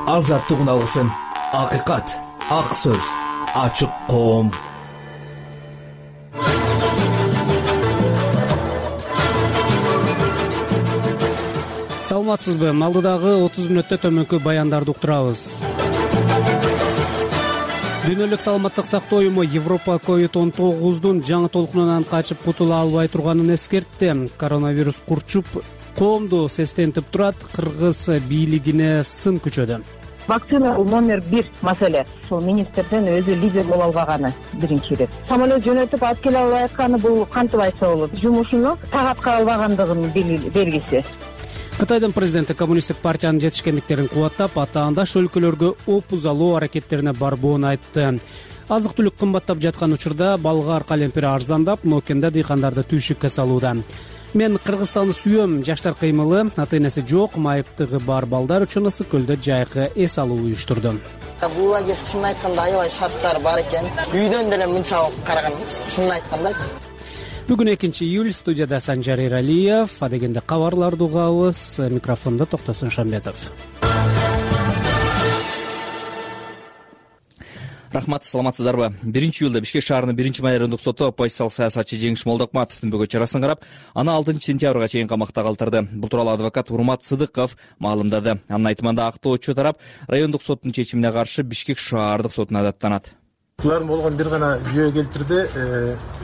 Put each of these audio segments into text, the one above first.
азаттыгын алгысың. Акыйкат, ак сөз, ачык коом. Саламатсызбы? Алдыдагы 30 мүнөттө төмөнкү баяндарды уктурабыз. Дүйнөлүк саламаттык сактоо уюму Европа COVID-19 жаңы толкунунан качып кутула албай турганын эскертти. Коронавирус курчуп, коомду сестентип турат, кыргыз бийлигине сын күчөдү. Вакцина номер 1 маселе. Ошол министрден өзү лидер боло албаганы биринчи ирет. Самолет жөнөтүп алып келе албай атканы бул кантип айтса болот? Жумушуну тагатка албагандыгынын белгиси. Кытайдын президенти коммунисттик партиянын жетишкендиктерин кубаттап, атаандаш өлкөлөргө опузалоо аракеттерине барбоон айтты. Азык-түлүк кымбаттап жаткан учурда балгар калемпир арзандап, Нокенда дыйкандарды түйшүккө салууда. Мен Кыргызстанды сүйөм. Жаштар кыймылы ата-энеси жок, майыптыгы бар балдар үчүн ысык көлдө жайкы эс алуу уюштурду. Бул лагерь чынын айтканда аябай шарттар бар экен. Үйдөн деле мынча караган эмес, чынын айтканда. Бүгүн 2-июль, студияда Санжар Эралиев, адегенде кабарларды угабыз. Микрофондо Токтосун Шамбетов. Рахмат, саламатсыздарбы? 1-июлда Бишкек шаарынын 1-май райондук соту оппозициялык саясатчы Жеңиш Молдокматовдун бөгөт чарасын карап, аны 6-сентябрга чейин камакта калтырды. Бул тууралуу адвокат Урмат Сыдыков маалымдады. Анын айтымында актоочу тарап райондук соттун чечимине каршы Бишкек шаардык сотуна даттанат. Булардын болгон бир гана жүйө келтирди.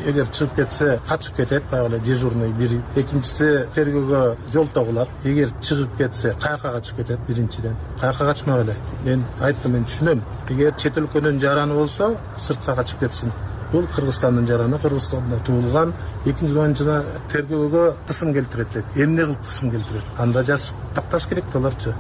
Эгер чыгып кетсе, качып кетет, баягы дежурный бири. Экинчиси тергөөгө жол тогулат. Эгер чыгып кетсе, каяка качып кетет биринчиден. Каяка качмак эле. Мен айттым, мен түшүнөм. Эгер чет өлкөнүн жараны болсо, сыртка качып кетсин. Бул Кыргызстандын жараны, Кыргызстанда туулган. Экинчиден тергөөгө кысым келтирет деп. Эмне кылып кысым келтирет? Анда жазып такташ керек аларчы.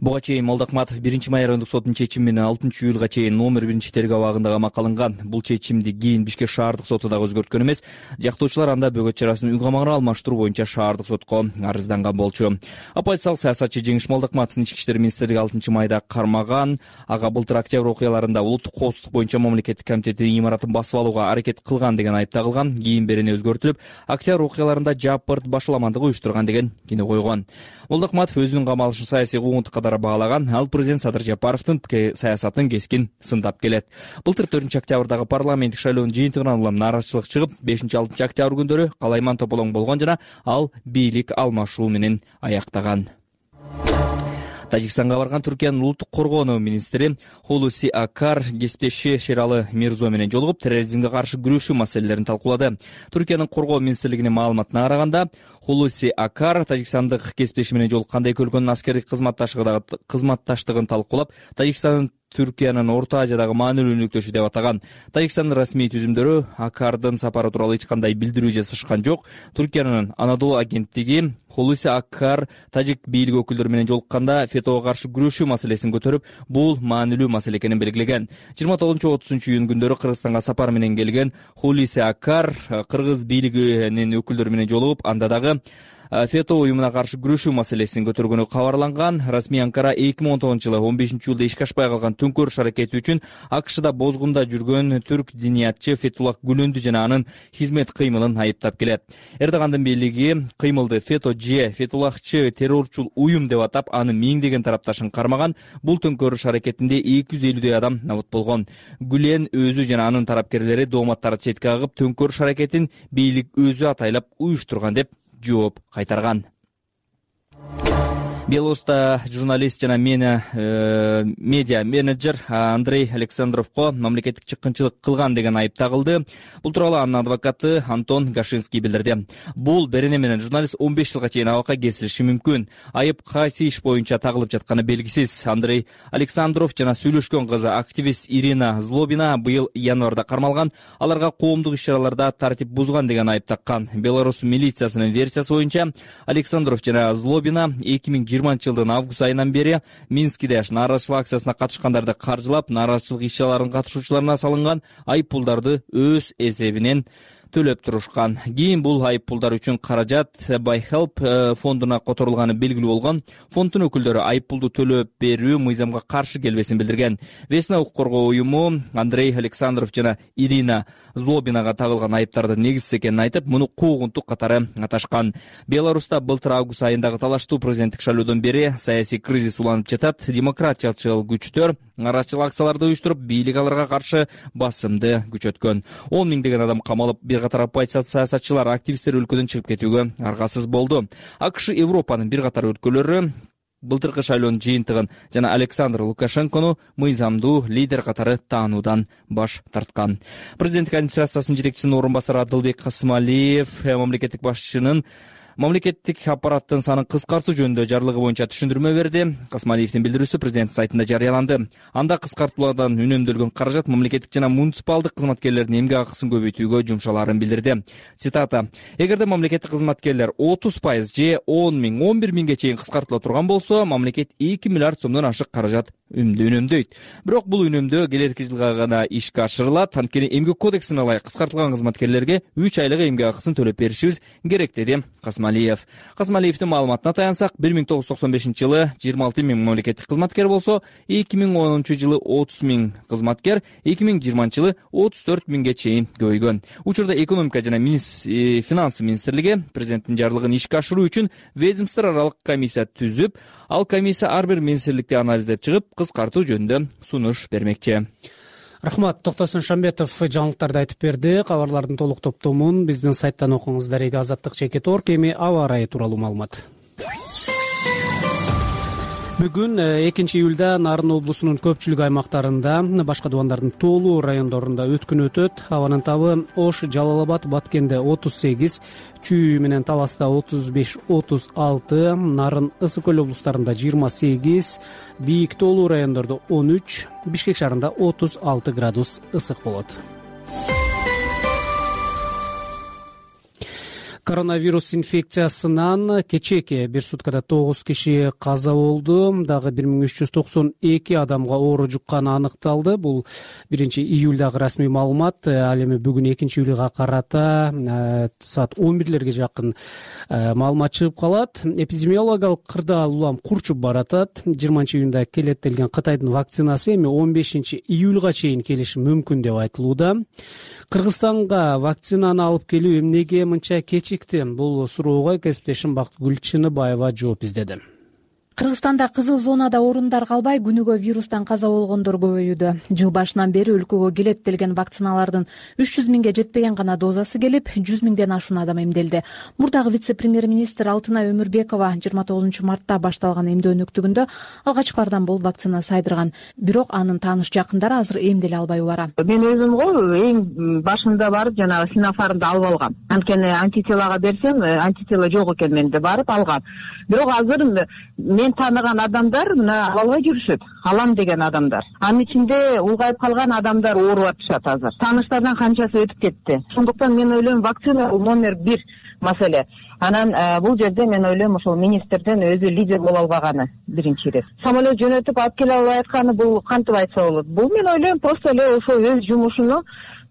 Буга чейин Молдокматов 1-май райондук сотунун чечими менен 6-июлга чейин номер 1 тергөө абагында камакка алынган. Бул чечимди кийин Бишкек шаардык соту дагы өзгөрткөн эмес. Жактоочулар анда бөгөт чарасын үй камагына алмаштыруу боюнча шаардык сотко арызданган болчу. Оппозициялык саясатчы Жеңиш Молдокматовдун ички иштер министрлиги 6-майда кармаган. Ага былтыр октябрь окуяларында улуттук коопсуздук боюнча мамлекеттик комитеттин имаратын басып алууга аракет кылган деген айып тагылган. Кийин берени өзгөртүлүп, октябрь окуяларында жапырт башаламандык уюштурган деген кино койгон. Молдокматов өзүнүн камалышын саясий куугунтук катары баалаган. Ал президент Садыр Жапаровдун саясатын кескин сындап келет. Былтыр 4-октябрдагы парламенттик шайлоонун жыйынтыгынан улам нааразычылык чыгып, 5-6 октябрь күндөрү калайман тополоң болгон жана ал бийлик алмашуу менен аяктаган. Тажикстанга барган Түркиянын улуттук коргонуу министри Хулуси Акар кесиптеши Шералы Мирзо менен жолугуп, терроризмге каршы күрөшүү маселелерин талкуулады. Түркиянын коргоо министрлигинин маалыматына караганда, Хулуси Акар тажикстандык кесиптеши менен жолукканда эки өлкөнүн аскердик кызматташтыгын талкуулап, Тажикстандын Түркиянын Орто Азиядагы маанилүү өнөктөшү деп атаган. Тажикстандын расмий түзүмдөрү Акардын сапары тууралуу эч кандай билдирүү жасашкан жок. Түркиянын Анадолу агенттиги Хулуси Акар тажик бийлик өкүлдөрү менен жолукканда фетого каршы күрөшүү маселесин көтөрүп, бул маанилүү маселе экенин белгилеген. 29-30 июнь күндөрү Кыргызстанга сапар менен келген Хулуси Акар кыргыз бийлигинин өкүлдөрү менен жолугуп, анда дагы фето уюмуна каршы күрөшүү маселесин көтөргөнү кабарланган. Расмий Анкара 2019-жылы 15-июлда ишке ашпай калган төңкөрүш аракети үчүн АКШда бозгунда жүргөн түрк диниятчы Фетуллах Гүлөндү жана анын хизмет кыймылын айыптап келет. Эрдогандын бийлиги кыймылды фето же фетуллахчы террорчул уюм деп атап, анын миңдеген тарапташын кармаган. Бул төңкөрүш аракетинде 250 адам набыт болгон. Гүлен өзү жана анын тарапкерлери дооматтарды четке кагып, төңкөрүш аракетин бийлик өзү атайлап уюштурган деп жооп кайтарган. Белоруста журналист жана медиа менеджер Андрей Александровго мамлекеттик чыккынчылык кылган деген айып тагылды. Бул тууралуу анын адвокаты Антон Гашинский билдирди. Бул берене менен журналист 15 жылга чейин абакка кесилиши мүмкүн. Айып кайсы иш боюнча тагылып жатканы белгисиз. Андрей Александров жана сүйлөшкөн кызы активист Ирина Злобина быйыл январда кармалган. Аларга коомдук иш-чараларда тартип бузган деген айып таккан. Беларусь милициясынын версиясы боюнча Александров жана Злобина 2020-жылдын август айынан бери Минскиде нааразычылык акциясына катышкандарды каржылап, нааразычылык иш-чараларынын катышуучуларына салынган айып пулдарды өз эсебинен төлөп турушкан. Кийин бул айыппулдар үчүн каражат BuyHelp фондуна которулганы белгилүү болгон. Фонддун өкүлдөрү айыппулду төлөп берүү мыйзамга каршы келбесин билдирген. Весна укук коргоо уюму Андрей Александров жана Ирина Злобинага тагылган айыптардын негизсиз экенин айтып, муну куугунтук катары аташкан. Беларуста былтыр август айындагы талаштуу президенттик шайлоодон бери саясий кризис уланып жатат. Демократиячыл күчтөр нараачылык акцияларды уюштуруп, бийлик аларга каршы басымды күчөткөн. 10 миңдеген адам камалып, бир катар оппозиция саясатчылар, активисттер өлкөдөн чыгып кетүүгө аргасыз болду. АКШ Европанын бир катар өлкөлөрү былтыркы шайлоонун жыйынтыгын жана Александр Лукашенкону мыйзамдуу лидер катары таануудан баш тарткан. Президенттик администрациясынын жетекчисинин орун басары Адылбек Касымалиев мамлекеттик башчынын мамлекеттик аппараттын санын кыскартуу жөнүндө жарлыгы боюнча түшүндүрмө берди. Касымалиевдин билдирүүсү президент сайтында жарыяланды. Анда кыскартуулардан үнөмдөлгөн каражат мамлекеттик жана муниципалдык кызматкерлердин эмгек акысын көбөйтүүгө жумшаларын билдирди. Цитата: "Эгерде мамлекеттик кызматкерлер 30% же 10 миң, 11 миңге чейин кыскартыла турган болсо, мамлекет 2 миллиард сомдон ашык каражат үнөмдөйт. Бирок бул үнөмдөө келерки жылга гана ишке ашырылат. Анткени эмгек кодексине ылайык кыскартылган кызматкерлерге 3 айлык эмгек акысын төлөп беришибиз керек", деди Касымалиевдин маалыматына таянсак, 1995-жылы 26 миң мамлекеттик кызматкер болсо, 2010-жылы 30 миң кызматкер, 2020-жылы 34 миңге чейин көбөйгөн. Учурда экономика жана финансы министрлиги президенттин жарлыгын ишке ашыруу үчүн ведомство аралык комиссия түзүп, ал комиссия ар бир министрликти анализдеп чыгып, кыскартуу жөнүндө сунуш бермекчи. Рахмат, Токтосун Шамбетов жаңылыктарды айтып берди. Кабарлардын толук топтомун биздин сайттан окуңуз. Дареги Азаттык.org. Эми аба ырайы тууралуу маалымат. Бүгүн 2-июлда Нарын облусунун көпчүлүк аймактарында, башка дубандардын тоолуу райондорунда өткүн өтөт. Абанын табы Ош, Жалал-Абад, Баткенде 38, Чүй менен Таласта 35-36, Нарын, Ысык көл облустарында 28, бийик тоолуу райондордо 13, Бишкек шаарында 36 градус ысык болот. Коронавирус инфекциясынан кечээки бир суткада 9 киши каза болду. Дагы 1392 адамга оору жукканы аныкталды. Бул 1-июлдагы расмий маалымат. Ал эми бүгүн 2-июлга карата саат 11лерге жакын маалымат чыгып калат. Эпидемиологиялык кырдаал улам курчуп баратат. 20-июнда келет делген Кытайдын вакцинасы эми 15-июлга чейин келиши мүмкүн деп айтылууда. Кыргызстанга вакцинаны алып келүү эмнеге мынча кечикти? Бул суроого кесиптешим Бактыгүл Чыныбаева жооп издеди. Кыргызстанда кызыл зонада орундар калбай, күнүгө вирустан каза болгондор көбөйүүдө. Жыл башынан бери өлкөгө келет делген вакциналардын 300 миңге жетпеген гана дозасы келип, 100 миңден ашуун адам эмделди. Мурдагы вице-премьер-министр Алтынай Өмүрбекова 29 мартта башталган эмдөө өнөктүгүндө алгачкылардан болуп вакцина сайдырган. Бирок анын тааныш жакындары азыр эмделе албай улара. Мен өзүм эң башында барып жанагы Синофармды алып алгам. Анткени антителага берсем, антитела жок экен менде, барып алгам. Бирок азыр мен тааныган адамдар мына албай жүрүшөт. Алам деген адамдар. Анын ичинде улгайып калган адамдар оорубап атышат азыр. Тааныштардан канчасы өтүп кетти. Ошондуктан мен ойлойм, вакцина номер 1 маселе. Анан бул жерде мен ойлойм, ошол министрден өзү лидер боло албаганы биринчи ирет. Самолет жөнөтүп алып келе албай атканы бул кантип айтса болот? Бул мен ойлойм просто эле ошо өз жумушуну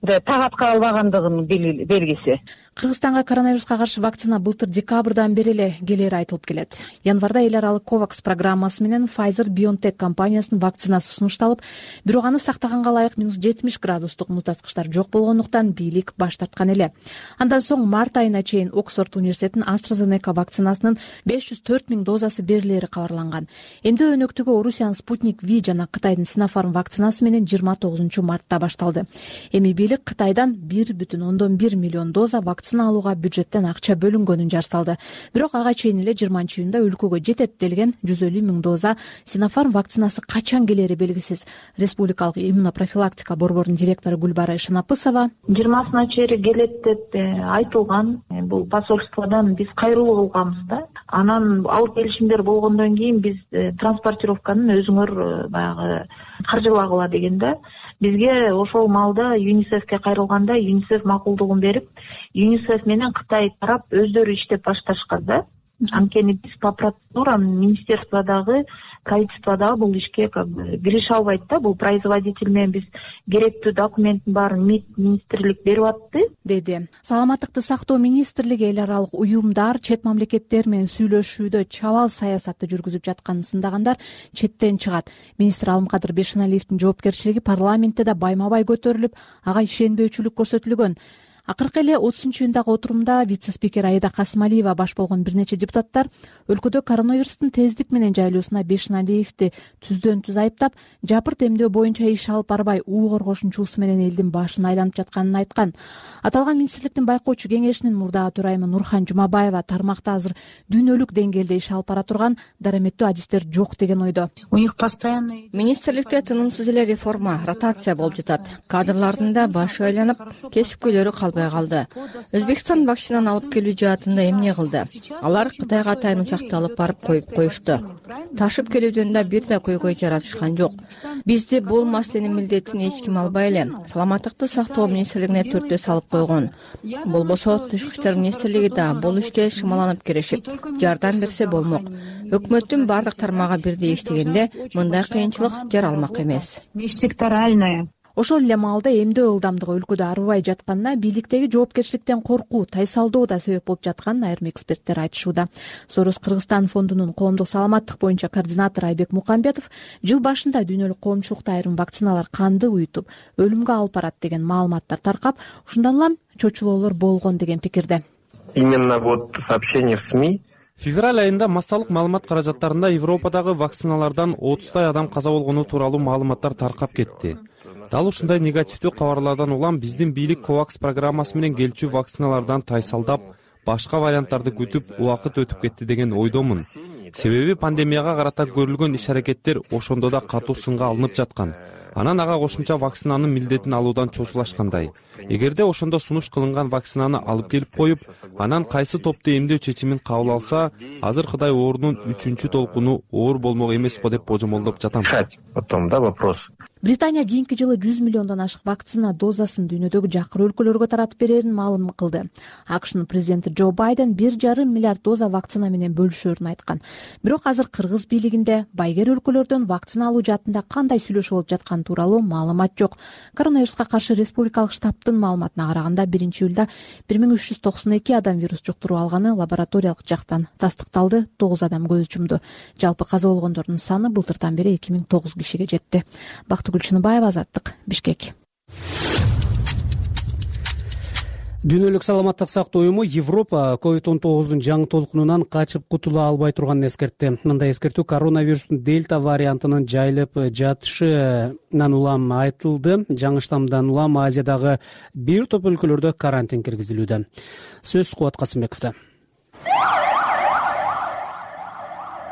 тагатка албагандыгынын белгиси. Кыргызстанга коронавируска каршы вакцина былтыр декабрдан бери эле келери айтылып келет. Январда эл аралык COVAX программасы менен Pfizer-BioNTech компаниясынын вакцинасы сунушталып, бирок аны сактаганга ылайык -70 градустук мутаткычтар жок болгондуктан бийлик баш тарткан эле. Андан соң март айына чейин Оксфорд университетинин AstraZeneca вакцинасынын 504 миң дозасы берилери кабарланган. Эмдөө өнөктүгү Орусиянын Sputnik V жана Кытайдын Sinopharm вакцинасы менен 29 мартта башталды. Эми бийлик Кытайдан 1,1 миллион доза вакцина алууга бюджеттен акча бөлүнгөнүн жарсалды. Бирок ага чейин эле 20-июнда өлкөгө жетет делген 150 миң доза Sinopharm вакцинасы качан келери белгисиз. Республикалык иммунопрофилактика борборунун директору Гүлбара Ишанапысова 20-сына чейин келет деп айтылган. Бул посольстводон биз кайрылуу кылганбыз да. Анан алып келишимдер болгондон кийин биз транспортировканы өзүңөр баягы каржылагыла дегенде бизге ошол маалда ЮНИСЕФке кайрылганда ЮНИСЕФ макулдугун берип, ЮНИСЕФ менен Кытай тарап өздөрү иштеп башташкан да. Анткени биз по процедурам министерстводагы, правительстводагы бул ишке киреше албайт да. Бул производитель менен биз керектүү документтин баарын МИД министрлик берип атты, деди. Саламаттыкты сактоо министрлиги эл аралык уюмдар чет мамлекеттер менен сүйлөшүүдө чабал саясатты жүргүзүп жатканын сындагандар четтен чыгат. Министр Алымкадыр Бешеналиевдин жоопкерчилиги парламентте да байма-бай көтөрүлүп, ага ишенбөөчүлүк көрсөтүлгөн. Акыркы эле 30-июндагы отурумда вице-спикер Аида Касымалиева баш болгон бир нече депутаттар өлкөдө коронавирустун тездик менен жайылуусуна Бешеналиевди түздөн түз айыптап, жапырт эмдөө боюнча иш алып барбай, уу коргошунчусу менен элдин башын айланып жатканын айткан. Аталган министрликтин байкоочу кеңешинин мурдагы төрайымы Нурхан Жумабаева тармакта азыр дүйнөлүк деңгээлде иш алып бара турган дараметтүү адистер жок деген ойдо. Министрликте тынымсыз эле реформа, ротация болуп жатат. Кадрлардын да башы айланып, кесипкөйлөрү калбай калды. Өзбекстан вакцинаны алып келүү жаатында эмне кылды? Алар Кытайга атайын учакты алып барып коюп коюшту. Ташып келүүдөн да бир да көйгөй жаратышкан жок. Бизди бул маселенин милдетин эч ким албай эле Саламаттыкты сактоо министрлигине түртө салып койгон. Болбосо Тышкы иштер министрлиги да бул ишке шымаланып кирешип, жардам берсе болмок. Өкмөттүн бардык тармагы бирдей иштегенде мындай кыйынчылык жаралмак эмес. Ошол эле маалда эмдөө ылдамдыгы өлкөдө арыбай жатканына бийликтеги жоопкерчиликтен коркуу, тайсалдоо да себеп болуп жатканын айрым эксперттер айтышууда. Сорос Кыргызстан фондунун коомдук саламаттык боюнча координатору Айбек Мукамбетов жыл башында дүйнөлүк коомчулукта айрым вакциналар канды уютуп, өлүмгө алып барат деген маалыматтар таркап, ушундан улам чочулоолор болгон деген пикирде. Именно сообщение в СМИ. Февраль айында массалык маалымат каражаттарында Европадагы вакциналардан 30 адам каза болгону тууралуу маалыматтар таркап кетти. Дал ушундай негативдүү кабарлардан улам биздин бийлик COVAX программасы менен келчү вакциналардан тайсалдап, башка варианттарды күтүп, убакыт өтүп кетти деген ойдомун. Себеби пандемияга карата көрүлгөн иш-аракеттер ошондо да катуу сынга алынып жаткан. Анан ага кошумча вакцинанын милдетин алуудан чочулашкандай. Эгерде ошондо сунуш кылынган вакцинаны алып келип коюп, анан кайсы топту эмдөө чечимин кабыл алса, азыркыдай оорунун 3-чү толкуну оор болмок эмес го деп божомолдоп жатам. Потом, да, вопрос. Британия кийинки жылы 100 миллиондон ашык вакцина дозасын дүйнөдөгү жакыр өлкөлөргө таратып берерин маалым кылды. АКШнын президенти Джо Байден 1,5 миллиард доза вакцина менен бөлүшөрүн айткан. Бирок азыр Кыргыз бийлигинде байгер өлкөлөрдөн вакцина алуу жаатында кандай сүйлөшүү болуп жатканы тууралуу маалымат жок. Коронавируска каршы республикалык штабтын маалыматына караганда 1-июлда 1392 адам вирус жуктуруп алганы лабораториялык жактан тастыкталды, 9 адам көз жумду. Жалпы каза болгондордун саны былтырдан бери 2009 кишиге жетти. Гүлчүнүбаева, Азаттык, Бишкек. Дүйнөлүк саламаттык сактоо уюму Европа COVID-19 жаңы толкунунан качып кутула албай турганын эскертти. Мындай эскертүү коронавирустун дельта вариантынын жайылып жатышынан улам айтылды. Жаңы штаммдан улам Азиядагы бир топ өлкөлөрдө карантин киргизилүүдө. Сөз Кубат Касымбековдо.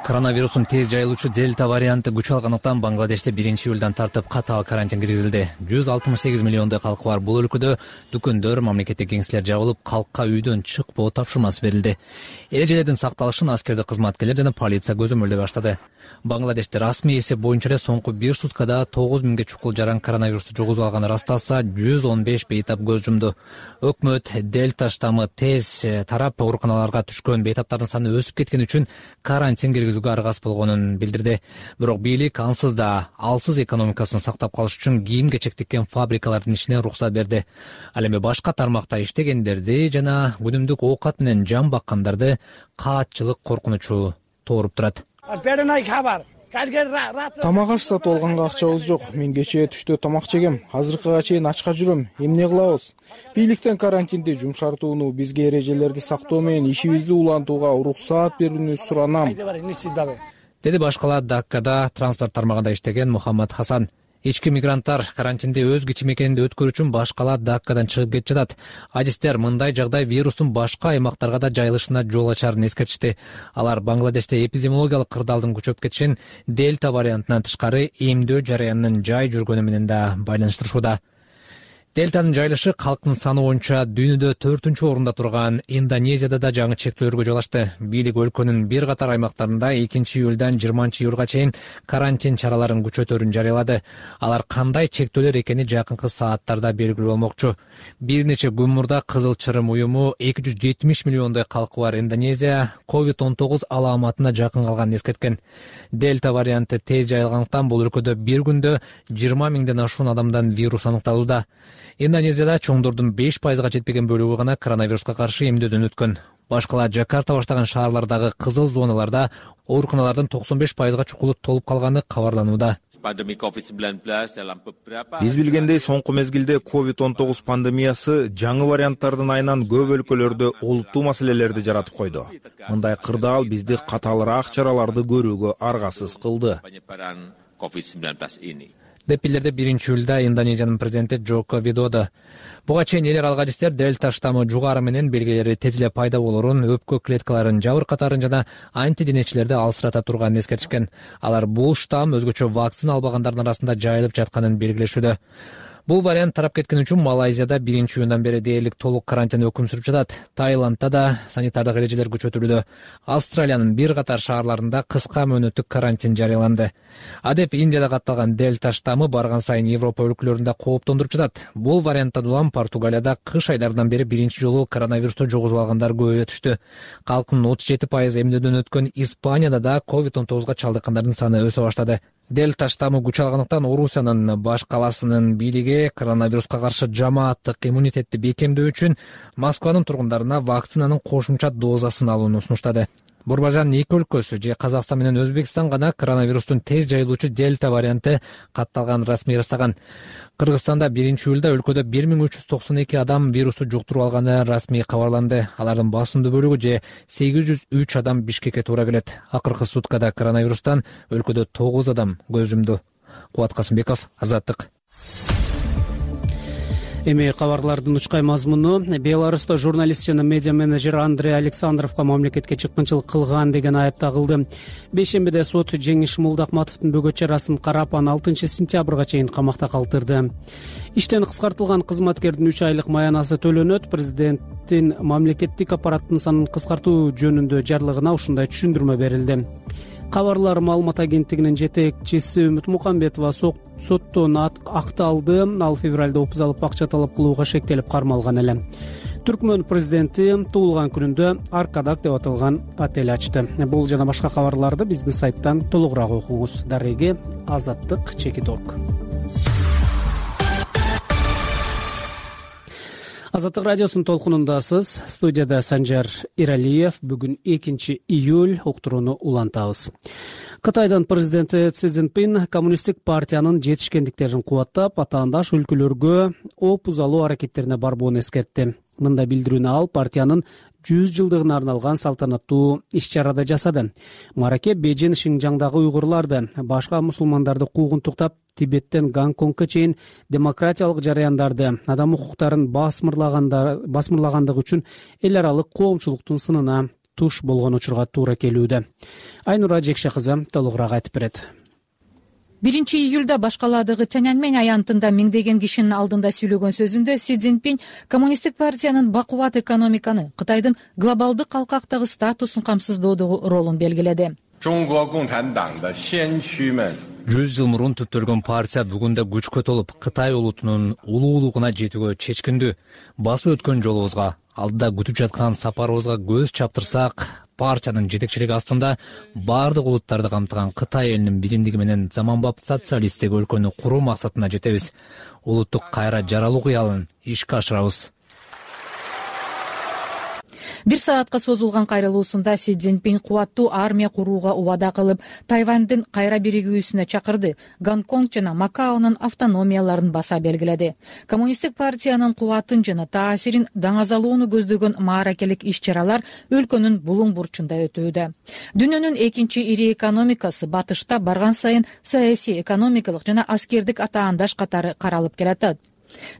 Коронавирустун тез жайылуучу дельта варианты күч алгандыктан Бангладеште 1-июлдан тартып катаал карантин киргизилди. 168 миллиондой калкы бар бул өлкөдө дүкөндөр, мамлекеттик кеңселер жабылып, калкка үйдөн чыкпоо тапшырмасы берилди. Эрежелердин сакталышын аскердик кызматкерлер жана полиция көзөмөлдөй баштады. Бангладеште расмий эсеп боюнча эле соңку 1 суткада 9000 чукул жаран коронавирусту жугузуп алганы ырасталса, 115 бейтап көз жумду. Өкмөт дельта штаммы тез тарап, ооруканаларга түшкөн бейтаптардын саны өсүп кеткени үчүн карантин киргизүүгө аргасыз болгонун билдирди. Бирок бийлик ансыз да алсыз экономикасын сактап калыш үчүн кийим-кечек тиккен фабрикалардын ишине уруксат берди. Ал эми башка тармакта иштегендерди жана күнүмдүк оокат менен жан баккандарды каатчылык коркунучу тооруп турат. Тамак аш сатып алганга акчабыз жок. Мен кечээ түштө тамак жегем. Азыркыга чейин ачка жүрөм. Эмне кылабыз? Бийликтен карантинди жумшартууну, бизге эрежелерди сактоо менен ишибизди улантууга уруксаат берүүнү суранам, деди башкалар Даккада транспорт тармагында иштеген Мухаммад Хасан. Ички мигранттар карантинди өз кичи мекенинде өткөрүү үчүн башкалар Даккадан чыгып кетип жатат. Адистер мындай жагдай вирустун башка аймактарга да жайылышына жол ачарын эскертишти. Алар Бангладеште эпидемиологиялык кырдаалдын күчөп кетишин дельта вариантынан тышкары эмдөө жараянынын жай жүргөнү менен да байланыштырышууда. Дельтанын жайылышы калктын саны боюнча дүйнөдө 4-орунда турган Индонезияда да жаңы чектөөлөргө жол ачты. Бийлик өлкөнүн бир катар аймактарында 2-июлдан 20-июлга чейин карантин чараларын күчөтөрүн жарыялады. Алар кандай чектөөлөр экени жакынкы сааттарда белгилүү болмокчу. Бир нече күн мурда Кызыл Чырым уюму 270 миллиондой калкы бар Индонезия COVID-19 аламатына жакын калганын эскерткен. Дельта варианты тез жайылгандыктан бул өлкөдө бир күндө 20 миңден ашуун адамдан вирус аныкталууда. Индонезияда чоңдордун 5%га жетпеген бөлүгү гана коронавируска каршы эмдөөдөн өткөн. Башкала Жакарта баштаган шаарлардагы кызыл зоналарда ооруканалардын 95%га чукулу толуп калганы кабарланууда. Биз билгендей, соңку мезгилде COVID-19 пандемиясы жаңы варианттардын айынан көп өлкөлөрдө олуттуу маселелерди жаратып койду. Мындай кырдаал бизди катаалыраак чараларды көрүүгө аргасыз кылды. Деп билдирди 1-июлда Индонезиянын президенти Джоко Видодо. Буга чейин эл аралык адистер дельта штаммы жугары менен белгилери тез эле пайда болорун, өпкө клеткаларын жабыркатарын жана антиденечилерди алсырата турганын эскертишкен. Алар бул штамм өзгөчө вакцина албагандардын арасында жайылып жатканын белгилешүүдө. Бул вариант тарап кеткен үчүн Малайзияда 1-июндан бери дээрлик толук карантин өкүм сүрүп жатат. Таиландда да санитардык эрежелер күчөтүлүүдө. Австралиянын бир катар шаарларында кыска мөөнөттүк карантин жарыяланды. Адеп Индияда катталган дельта штаммы барган сайын Европа өлкөлөрүндө кооптондуруп жатат. Бул варианттан улам Португалияда кыш айларынан бери биринчи жолу коронавирусту жугузуп алгандар көбөйө түштү. Калктын 37% эмдөөдөн өткөн Испанияда да COVID-19 чалдыккандардын саны өсө баштады. Дельта штаммы күч алгандыктан Орусиянын баш каласынын бийлиги коронавируска каршы жамааттык иммунитетти бекемдөө үчүн Москванын тургундарына вакцинанын кошумча дозасын алууну сунуштады. Бурбажан эки өлкөсү же Казакстан менен Өзбекстан гана коронавирустун тез жайылуучу дельта варианты катталган расмий ырастаган. Кыргызстанда 1-июлда өлкөдө 1392 адам вирусту жуктуруп алганы расмий кабарланды. Алардын басымдуу бөлүгү же 803 адам Бишкекке туура келет. Акыркы суткада коронавирустан өлкөдө 9 адам көз жумду. Кубат Касымбеков, Азаттык. Эми кабарлардын учкай мазмуну: Беларуста журналист жана медиа менеджер Андрей Александровго мамлекетке чыккынчылык кылган деген айып тагылды. Бейшембиде сот Жеңиш Молдакматовдун бөгөт чарасын карап, аны 6-сентябрга чейин камакта калтырды. Иштен кыскартылган кызматкердин 3 айлык маянасы төлөнөт. Президенттин мамлекеттик аппараттын санын кыскартуу жөнүндө жарлыгына ушундай түшүндүрмө берилди. Кабарлар маалымат агенттигинин жетекчиси Үмүт Мукамбетова соттон акталды. Ал февралда опуз алып акча талап кылууга шектелип кармалган эле. Түркмөн президенти туулган күнүндө Аркадак деп аталган отель ачты. Бул жана башка кабарларды биздин сайттан толугураак окуңуз. Дареги Азаттык.org. Азаттык радиосунун толкунундасыз. Студияда Санжар Иралиев. Бүгүн 2-июль, уктурууну улантабыз. Кытайдын президенти Си Цзиньпин коммунисттик партиянын жетишкендиктерин кубаттап, атаандаш өлкөлөргө опуз алуу аракеттерине барбоону эскертти. Мында билдирүүнү ал партиянын 100 жылдыгына арналган салтанаттуу иш-чарада жасады. Мараке Бейжин, Шинжаңдагы уйгурларды, башка мусулмандарды куугунтуктап, Тибеттен Гонконгго чейин демократиялык жараяндарды, адам укуктарын басмырлагандыгы үчүн эл аралык коомчулуктун сынына туш болгон учурга туура келүүдө. Айнура Жекше кызы толугураак айтып берет. 1-июлда башкаладагы Тяньаньмэнь аянтында миңдеген кишинин алдында сүйлөгөн сөзүндө Си Цзиньпин коммунисттик партиянын бакубат экономиканы, Кытайдын глобалдык калкактагы статусун камсыздоодогу ролун белгиледи. 100 жыл мурун түптөлгөн партия бүгүндө күчкө толуп, Кытай улутунун улуулугуна жетүүгө чечкиндүү. Басып өткөн жолубузга, алдыда күтүп жаткан сапарыбызга көз чаптырсак, партиянын жетекчилиги астында баардык улуттарды камтыган Кытай элинин биримдиги менен заманбап социалисттик өлкөнү куруу максатына жетебиз. Улуттук кайра жаралуу кыялын ишке ашырабыз. 1 саатка созулган кайрылуусунда Си Цзиньпин кубаттуу армия курууга убада кылып, Тайвандын кайра биригүүсүнө чакырды. Гонконг жана Макаонун автономияларын баса белгиледи. Коммунисттик партиянын кубатын жана таасирин даңазалоону көздөгөн мааракелик иш-чаралар өлкөнүн булуң бурчунда өтүүдө. Дүйнөнүн экинчи ири экономикасы батышта барган сайын саясий, экономикалык жана аскердик атаандаш катары каралып келатат.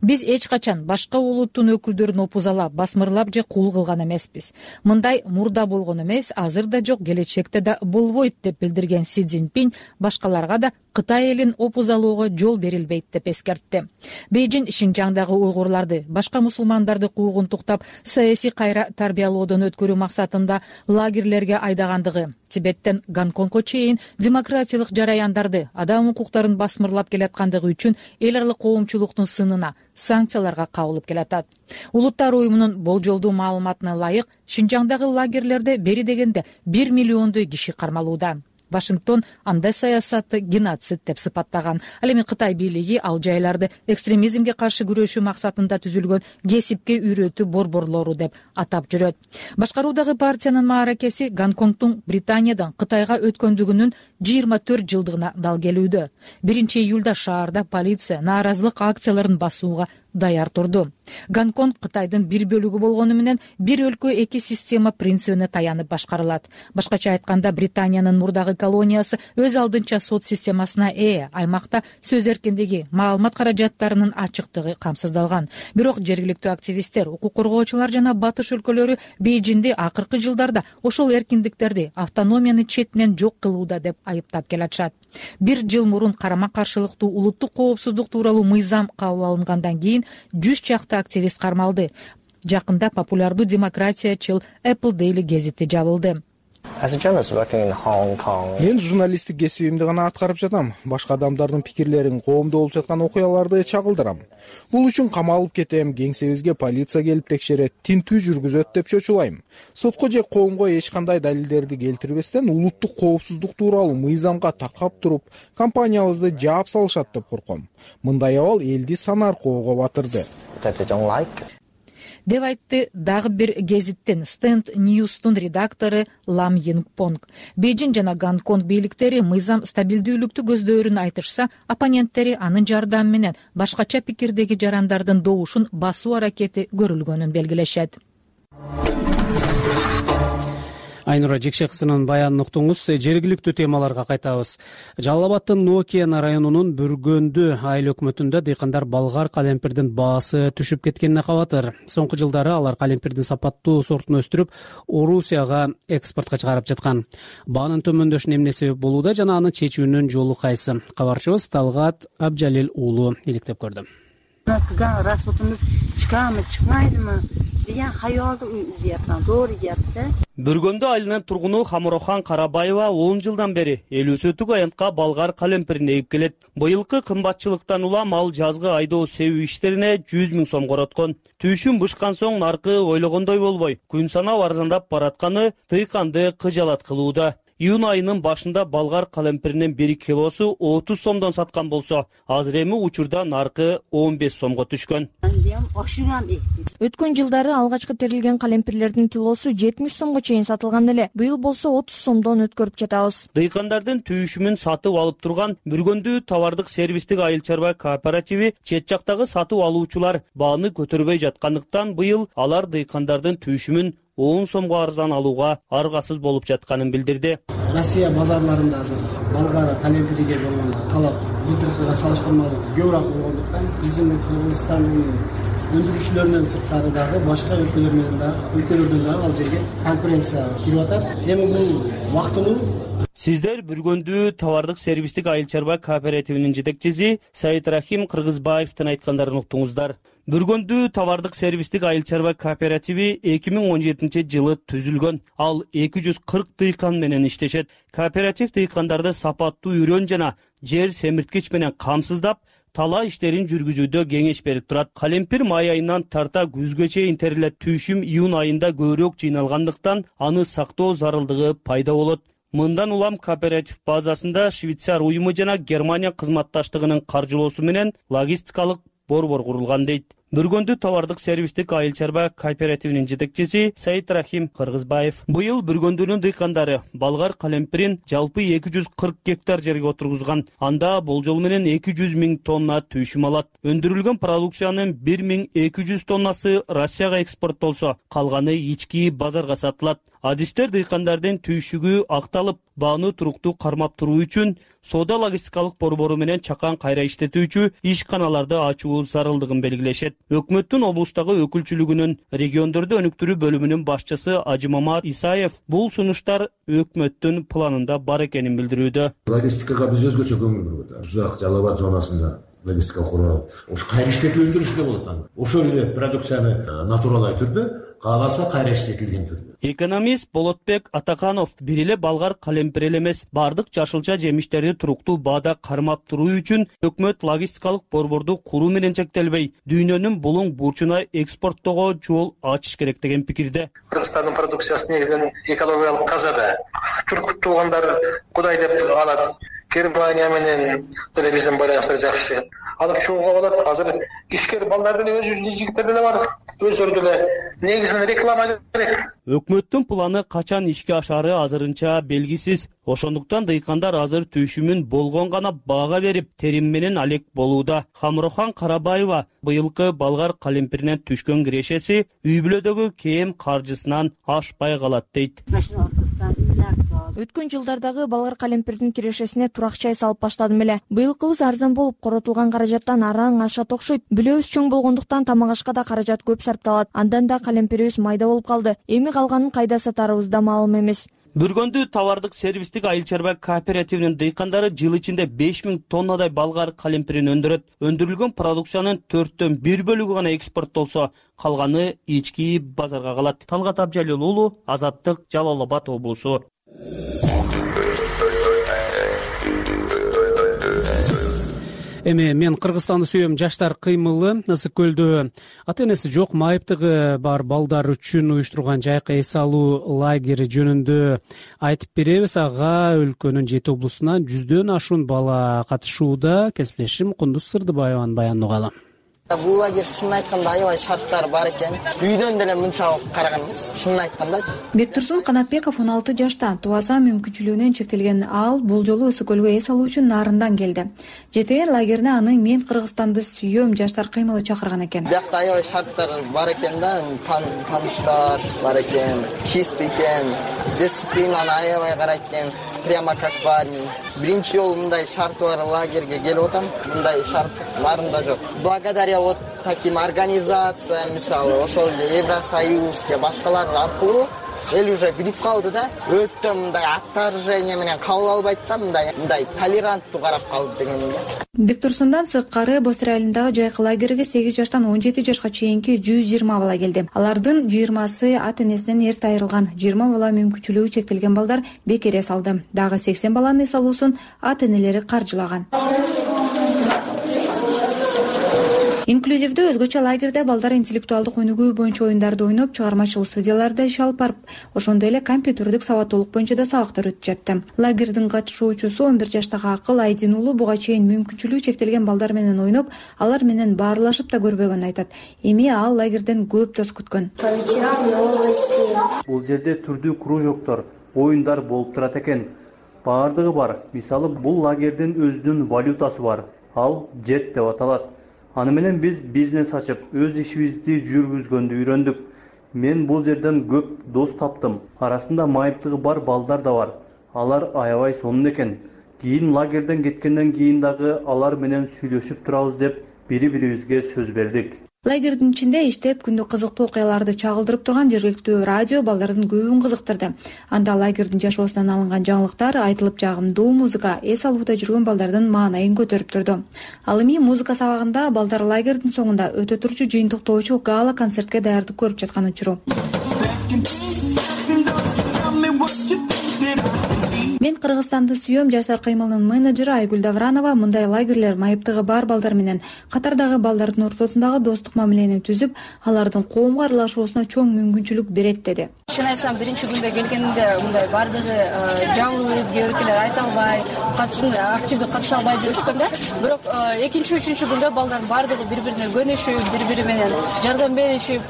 Биз эч качан башка улуттун өкүлдөрүн опузалап, басмырлап же кул кылган эмеспиз. Мындай мурда болгон эмес, азыр да жок, келечекте да болбойт деп билдирген Си Цзиньпин башкаларга да Кытай элин опузалоого жол берилбейт деп эскертти. Бейжин Шинжаңдагы уйгурларды, башка мусулмандарды куугунтуктап, саясий кайра тарбиялоодон өткөрүү максатында лагерлерге айдагандыгы, Тибеттен Гонконгго чейин демократиялык жараяндарды, адам укуктарын басмырлап келаткандыгы үчүн эл аралык коомчулуктун сынына, санкцияларга кабылып келатат. Улуттар уюмунун болжолдуу маалыматына ылайык, Шинжаңдагы лагерлерде бери дегенде 1 миллиондой киши кармалууда. Вашингтон андай саясатты геноцид деп сыпаттаган. Ал эми Кытай бийлиги ал жайларды экстремизмге каршы күрөшүү максатында түзүлгөн кесипке үйрөтүү борборлору деп атап жүрөт. Башкаруудагы партиянын мааракеси Гонконгдун Британиядан Кытайга өткөндүгүнүн 24 жылдыгына дал келүүдө. 1-июлда шаарда полиция нааразылык акцияларын басууга даяр турду. Гонконг Кытайдын бир бөлүгү болгону менен бир өлкө эки система принцибине таянып башкарылат. Башкача айтканда, Британиянын мурдагы колониясы өз алдынча сот системасына аймакта сөз эркиндиги, маалымат каражаттарынын ачыктыгы камсыздалган. Бирок жергиликтүү активисттер, укук коргоочулар жана батыш өлкөлөрү Бейжинди акыркы жылдарда ошол эркиндиктерди, автономияны четинен жок кылууда деп айыптап келатышат. 1 жыл мурун карама каршылыктуу улуттук коопсуздук тууралуу мыйзам кабыл алынгандан кийин 100 чакты активист кармалды. Жакында популярдуу демократиячыл Apple Daily гезити жабылды. Мен журналисттик кесибимди гана аткарып жатам. Башка адамдардын пикирлерин, коомдо болуп жаткан окуяларды чагылдырам. Бул үчүн камалып кетем, кеңсебизге полиция келип текшерет, тинтүү жүргүзөт деп чочулайм. Сотко же коомго эч кандай далилдерди келтирбестен улуттук коопсуздук тууралуу мыйзамга такап туруп, компаниябызды жаап салышат деп корком. Мындай абал элди санаркоого батырды. Деп айтты дагы бир гезиттин Stand News'тун редактору Лам Йингпонг. Бейжин жана Гонконг бийликтери мыйзам стабилдүүлүктү көздөөрүн айтышса, оппоненттери анын жардамы менен башкача пикирдеги жарандардын добушун басуу аракети көрүлгөнүн белгилешет. Айнура Жекше кызынын баянын уктуңуз. Жергиликтүү темаларга кайтабыз. Жалал Абадтын Ноокиян районунун Бүргөндү айыл өкмөтүндө дыйкандар балгар калемпирдин баасы түшүп кеткенине кабатыр. Соңку жылдары алар калемпирдин сапаттуу сортун өстүрүп, Орусияга экспортко чыгарып жаткан. Баанын төмөндөшүнө эмне себеп болууда жана аны чечүүнүн жолу кайсы? Кабарчыбыз Талгат Абжалил уулу иликтеп көрдү. Расотумуз чыкамы, чыкмайдымы деген хаялды үзөптүн, зор үзөптү. Бүргөндү айылынын тургуну Хамурохан Карабаева 10 жылдан бери эл өсөтүк аянтка балгар калемпирин эгип келет. Быйылкы кымбатчылыктан улам ал жазгы айдоо себүү иштерине 100 000 сом короткон. Түйшүн бышкан соң наркы ойлогондой болбой, күн санап арзандап баратканы дыйканды кыжалат кылууда. Июнь айынын башында балгар калемпиринин 1 килосу 30 сомдон саткан болсо, азыр эми учурда наркы 15 сомго түшкөн. Өткөн жылдары алгачкы терилген калемпирлердин килосу 70 сомго чейин сатылган эле. Быйыл болсо 30 сомдон өткөрүп жатабыз. Дыйкандардын түйшүмүн сатып алып турган Бүргөндү товардык сервистик айыл чарба кооперативи чет жактагы сатып алуучулар бааны көтөрбөй жаткандыктан быйыл алар дыйкандардын түйшүмүн 10 сомго арзан алууга аргасыз болуп жатканын билдирди. Россия базарларында азыр балгар калемпириге болгон талап былтыркыга салыштырмалуу көбүрөөк болгондуктан биздин Кыргызстандын өндүрүүчүлөрүнөн сырткары дагы башка өлкөлөрдөн дагы ал жерге конкуренция кирип атат. Эми бул вактылуу. Сиздер Бүргөндү товардык сервистик айыл чарба кооперативинин жетекчиси Сайытрахим Кыргызбаевдин айткандарын уктуңуздар. Бүргөндү товардык сервистик айыл чарба кооперативи 2017 жылы түзүлгөн. Ал 240 дыйкан менен иштешет. Кооператив дыйкандарды сапаттуу үрөн жана жер семирткич менен камсыздап, тала иштерин жүргүзүүдө кеңеш берип турат. Калемпир май айынан тарта күзгө чейин терилет. Түйшүм июнь айында көбүрөөк жыйналгандыктан аны сактоо зарылдыгы пайда болот. Мындан улам кооператив базасында Швейцар уюму жана Германия кызматташтыгынын каржылоосу менен логистикалык борбор курулган дейт. Бүргөндү товардык сервистик айыл чарба кооперативинин жетекчиси Сайытрахим Кыргызбаев. Быйыл Бүргөндүнүн дыйкандары балгар калемпирин жалпы 240 гектар жерге отургузган. Анда болжол менен 200 000 тонна түйшүм алат. Өндүрүлгөн продукциянын 1200 тоннасы Россияга экспорттолсо, калганы ички базарга сатылат. Адистер дыйкандардын түйшүгү акталып, бааны туруктуу кармап туруу үчүн соода логистикалык борбору менен чакан кайра иштетүүчү ишканаларды ачуу зарылдыгын белгилешет. Өкмөттүн облустагы өкүлчүлүгүнүн региондорду өнүктүрүү бөлүмүнүн башчысы Ажимамат Исаев бул сунуштар өкмөттүн планында бар экенин билдирүүдө. Логистикага биз өзгөчө көңүл бурбуз. Узак Жалал Абад зонасында логистика куруу. Ошо кайра иштетүү өндүрүштө болот аны. Ошол эле продукцияны натуралдуу түрдө, кааласа кайра иштетилген түрдө. Экономист Болотбек Атаканов бир эле балгар калемпир эле эмес, бардык жашылча жемиштерди туруктуу баада кармап туруу үчүн өкмөт логистикалык борборду куруу менен чектелбей, дүйнөнүн булуң бурчуна экспорттоого жол ачыш керек деген пикирде. Кыргызстандын продукциясы негизинен экологиялык таза да. Түрк туугандар Кудай деп алат. Германия менен деле биздин байланыштар жакшы. Алып чыгууга болот. Азыр ишкер балдар деле өз жигиттер деле бар. Өздөрү деле негизинен реклама керек. Өкмөттүн планы качан ишке ашары азырынча белгисиз. Ошондуктан дыйкандар азыр түйшүмүн болгон гана баага берип, терим менен алек болууда. Хамрохан Карабаева быйылкы балгар калемпиринен түшкөн кирешеси үй бүлөдөгү кээм каржысынан ашпай калат дейт. Өткөн жылдардагы балгар калемпирдин кирешесине туракчай салып баштадым эле. Быйылкыбыз арзан болуп, коротулган каражаттан араң ашат окшойт. Бүлөбүз чоң болгондуктан тамак ашка да каражат көп сарпталат. Андан да калемпирибиз майда болуп калды. Эми калганын кайда сатарыбыз да маалым эмес. Бүргөндүү товардык сервистик айыл чарба кооперативинин дыйкандары жыл ичинде 5000 тоннадай балгар калемпирин өндүрөт. Өндүрүлгөн продукциянын 1/4 бөлүгү гана экспорттолсо, калганы ички базарга калат. Талгат Абжалил уулу, Азаттык, Жалал Абад облусу. Эми мен Кыргызстанды сүйөм жаштар кыймылы Ысык көлдө ата энеси жок майыптыгы бар балдар үчүн уюштурган жайкы эс алуу лагери жөнүндө айтып беребиз. Ага өлкөнүн 7 облусунан 100дөн ашуун бала катышууда. Кесиптешим Кундуз Сырдыбаеванын баянын угалы. Бул лагерь чынын айтканда аябай шарттары бар экен. Үйдөн деле мынча караган эмес. Чынын айткандачы. Бектурсун Канатбеков 16 жашта. Тубаса мүмкүнчүлүгүнөн чектелген ал бул жолу Ысык көлгө эс алуу үчүн Нарындан келди. ЖТР лагерине аны мен Кыргызстанды сүйөм жаштар кыймылы чакырган экен. Биякта аябай шарттар бар экен да, тааныштар бар экен, чист экен, дисциплинаны аябай карайт экен. Прямо как в армии. Биринчи жолу мындай шарты бар лагерге келип атам. Мындай шарт Нарында жок. Благодаря вот таким организациям, мисалы, ошол Евросоюз же башкалар аркылуу эл уже билип калды да. Өтө мындай отторжение менен кабыл албайт да, мындай толеранттуу карап калды дегенге. Бектурсундан сырткары Бостыр айылындагы жайкы лагерге 8 жаштан 17 жашка чейинки 120 бала келди. Алардын 20сы ата энесинен эрте айрылган, 20 бала мүмкүнчүлүгү чектелген балдар бекер эс алды. Дагы 80 баланын эс алуусун ата энелери каржылаган. Инклюзивдүү өзгөчө лагерде балдар интеллектуалдык өнүгүү боюнча оюндарды ойноп, чыгармачыл студияларда иш алып барып, ошондой эле компьютердик сабаттуулук боюнча да сабактар өтүп жатты. Лагердин катышуучусу 11 жаштагы Акыл Айдин уулу буга чейин мүмкүнчүлүгү чектелген балдар менен ойноп, алар менен баарлашып да көрбөгөнүн айтат. Эми ал лагерден көп дос күткөн. Бул жерде түрдүү кружоктор, оюндар болуп турат экен. Баардыгы бар. Мисалы, бул лагердин өзүнүн валютасы бар. Ал жет деп аталат. Аны менен биз бизнес ачып, өз ишибизди жүргүзгөндү үйрөндүк. Мен бул жерден көп дос таптым. Арасында майыптыгы бар балдар да бар. Алар аябай сонун экен. Кийин лагерден кеткенден кийин дагы алар менен сүйлөшүп турабыз деп бири-бирибизге сөз бердик. Лагердин ичинде иштеп, күндү кызыктуу окуяларды чагылдырып турган жергиликтүү радио балдардын көбүн кызыктырды. Анда лагердин жашоосунан алынган жаңылыктар, айтылып жагымдуу музыка эс алууда жүргөн балдардын маанайын көтөрүп турду. Ал эми музыка сабагында балдар лагердин соңунда өтө турчу жыйынтыктоочу гала концертке даярдык көрүп жаткан учуру. Мен Кыргызстанды сүйөм жаштар кыймылынын менеджери Айгүл Давранова мындай лагерлер майыптыгы бар балдар менен катардагы балдардын ортосундагы достук мамилени түзүп, алардын коомго аралашуусуна чоң мүмкүнчүлүк берет деди. Чын айтсам, биринчи күндө келгенде мындай бардыгы жабылып, кээ биркелер айта албай, активдүү катыша албай жүрүшкөн да. Бирок экинчи, үчүнчү күндө балдар бардыгы бири-бирине көнүшүп, бири-бири менен жардам беришип,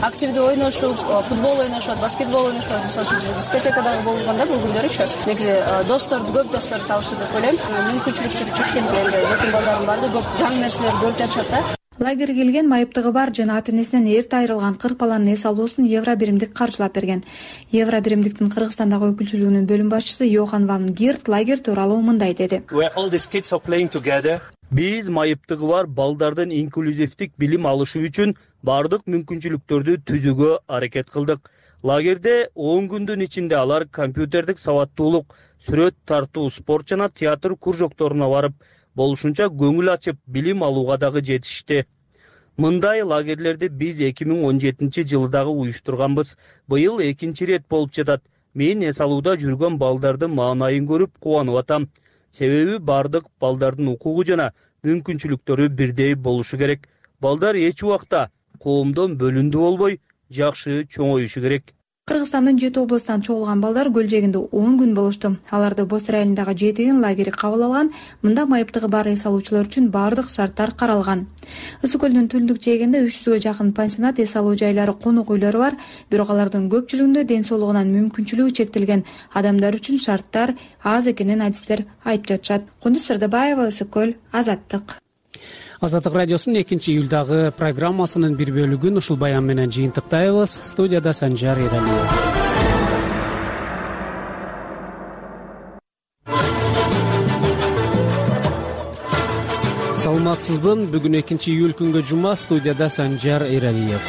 активдүү ойношуп, футбол ойношот, баскетбол ойношот. Мисалы үчүн дискотекадагы болгондо бул күндөрү досторду, көп досторду табышты деп ойлойм. Мүмкүнчүлүктөр чектелген, жакын балдардын баардыгы көп жаңы нерселерди көрүп жатышат да. лагерге келген майыптыгы бар жана ата энесинен эрте айрылган 40 баланын эс алуусун евро биримдик каржылап берген. Евро биримдиктин Кыргызстандагы өкүлчүлүгүнүн бөлүм башчысы Йохан ван Герт лагерь тууралуу мындай деди. Биз майыптыгы бар балдардын инклюзивдик билим алышы үчүн бардык мүмкүнчүлүктөрдү түзүүгө аракет кылдык. Лагерде 10 күндүн ичинде алар компьютердик сабаттуулук, сүрөт тартуу, спорт жана театр кружокторуна барып, болушунча көңүл ачып билим алууга дагы жетишти. Мындай лагерлерди биз 2017 дагы уюштурганбыз. Быйыл экинчи ирет болуп жатат. Мен эс алууда жүргөн балдардын маанайын көрүп кубанып атам. Себеби бардык балдардын укугу жана мүмкүнчүлүктөрү бирдей болушу керек. Балдар эч убакта коомдон бөлүндүү болбой, жакшы чоңоюшу керек. Кыргызстандын 7 областан чогулган балдар көл жээгинде 10 күн болушту. Аларды Бостор айылындагы жетигин лагери кабыл алган. Мында майыптыгы бар эс алуучулар үчүн бардык шарттар каралган. Ысык көлдүн түндүк жээгинде 300гө жакын пансионат, эс алуу жайлары, конок үйлөрү бар. Бирок алардын көпчүлүгүндө ден соолугунан мүмкүнчүлүгү чектелген адамдар үчүн шарттар аз экенин адистер айтып жатышат. Кундуз Сырдыбаева, Ысык көл, Азаттык. Азаттык радиосунун 2-июлдагы программасынын бир бөлүгүн ушул баян менен жыйынтыктайбыз. Студияда Санжар Эралиев. Саламатсызбы? Бүгүн 2-июль күнгө жума. Студияда Санжар Эралиев.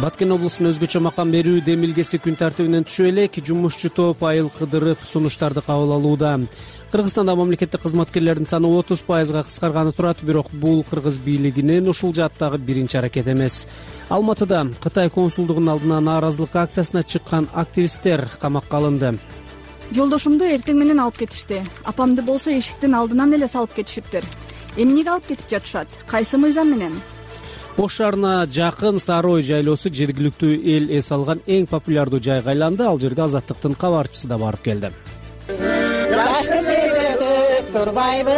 Баткен облусунун өзгөчө макам берүү демилгеси күн тартибинен түшүп элек. Жумушчу топ айыл кыдырып сунуштарды кабыл алууда. Кыргызстанда мамлекеттик кызматкерлердин саны 30%га кыскарганы турат, бирок бул кыргыз бийлигинин ушул жааттагы биринчи аракети эмес. Алматыда Кытай консулдугунун алдына нааразылык акциясына чыккан активисттер камакка алынды. Жолдошумду эртең менен алып кетишти. Апамды болсо эшиктин алдынан эле салып кетишиптир. Эмнеге алып кетип жатышат? Кайсы мыйзам менен? Ош шаарына жакын Сары Ой жайлоосу жергиликтүү эл эс алган эң популярдуу жайга айланды. Ал жерге Азаттыктын кабарчысы да барып келди. Турбайбы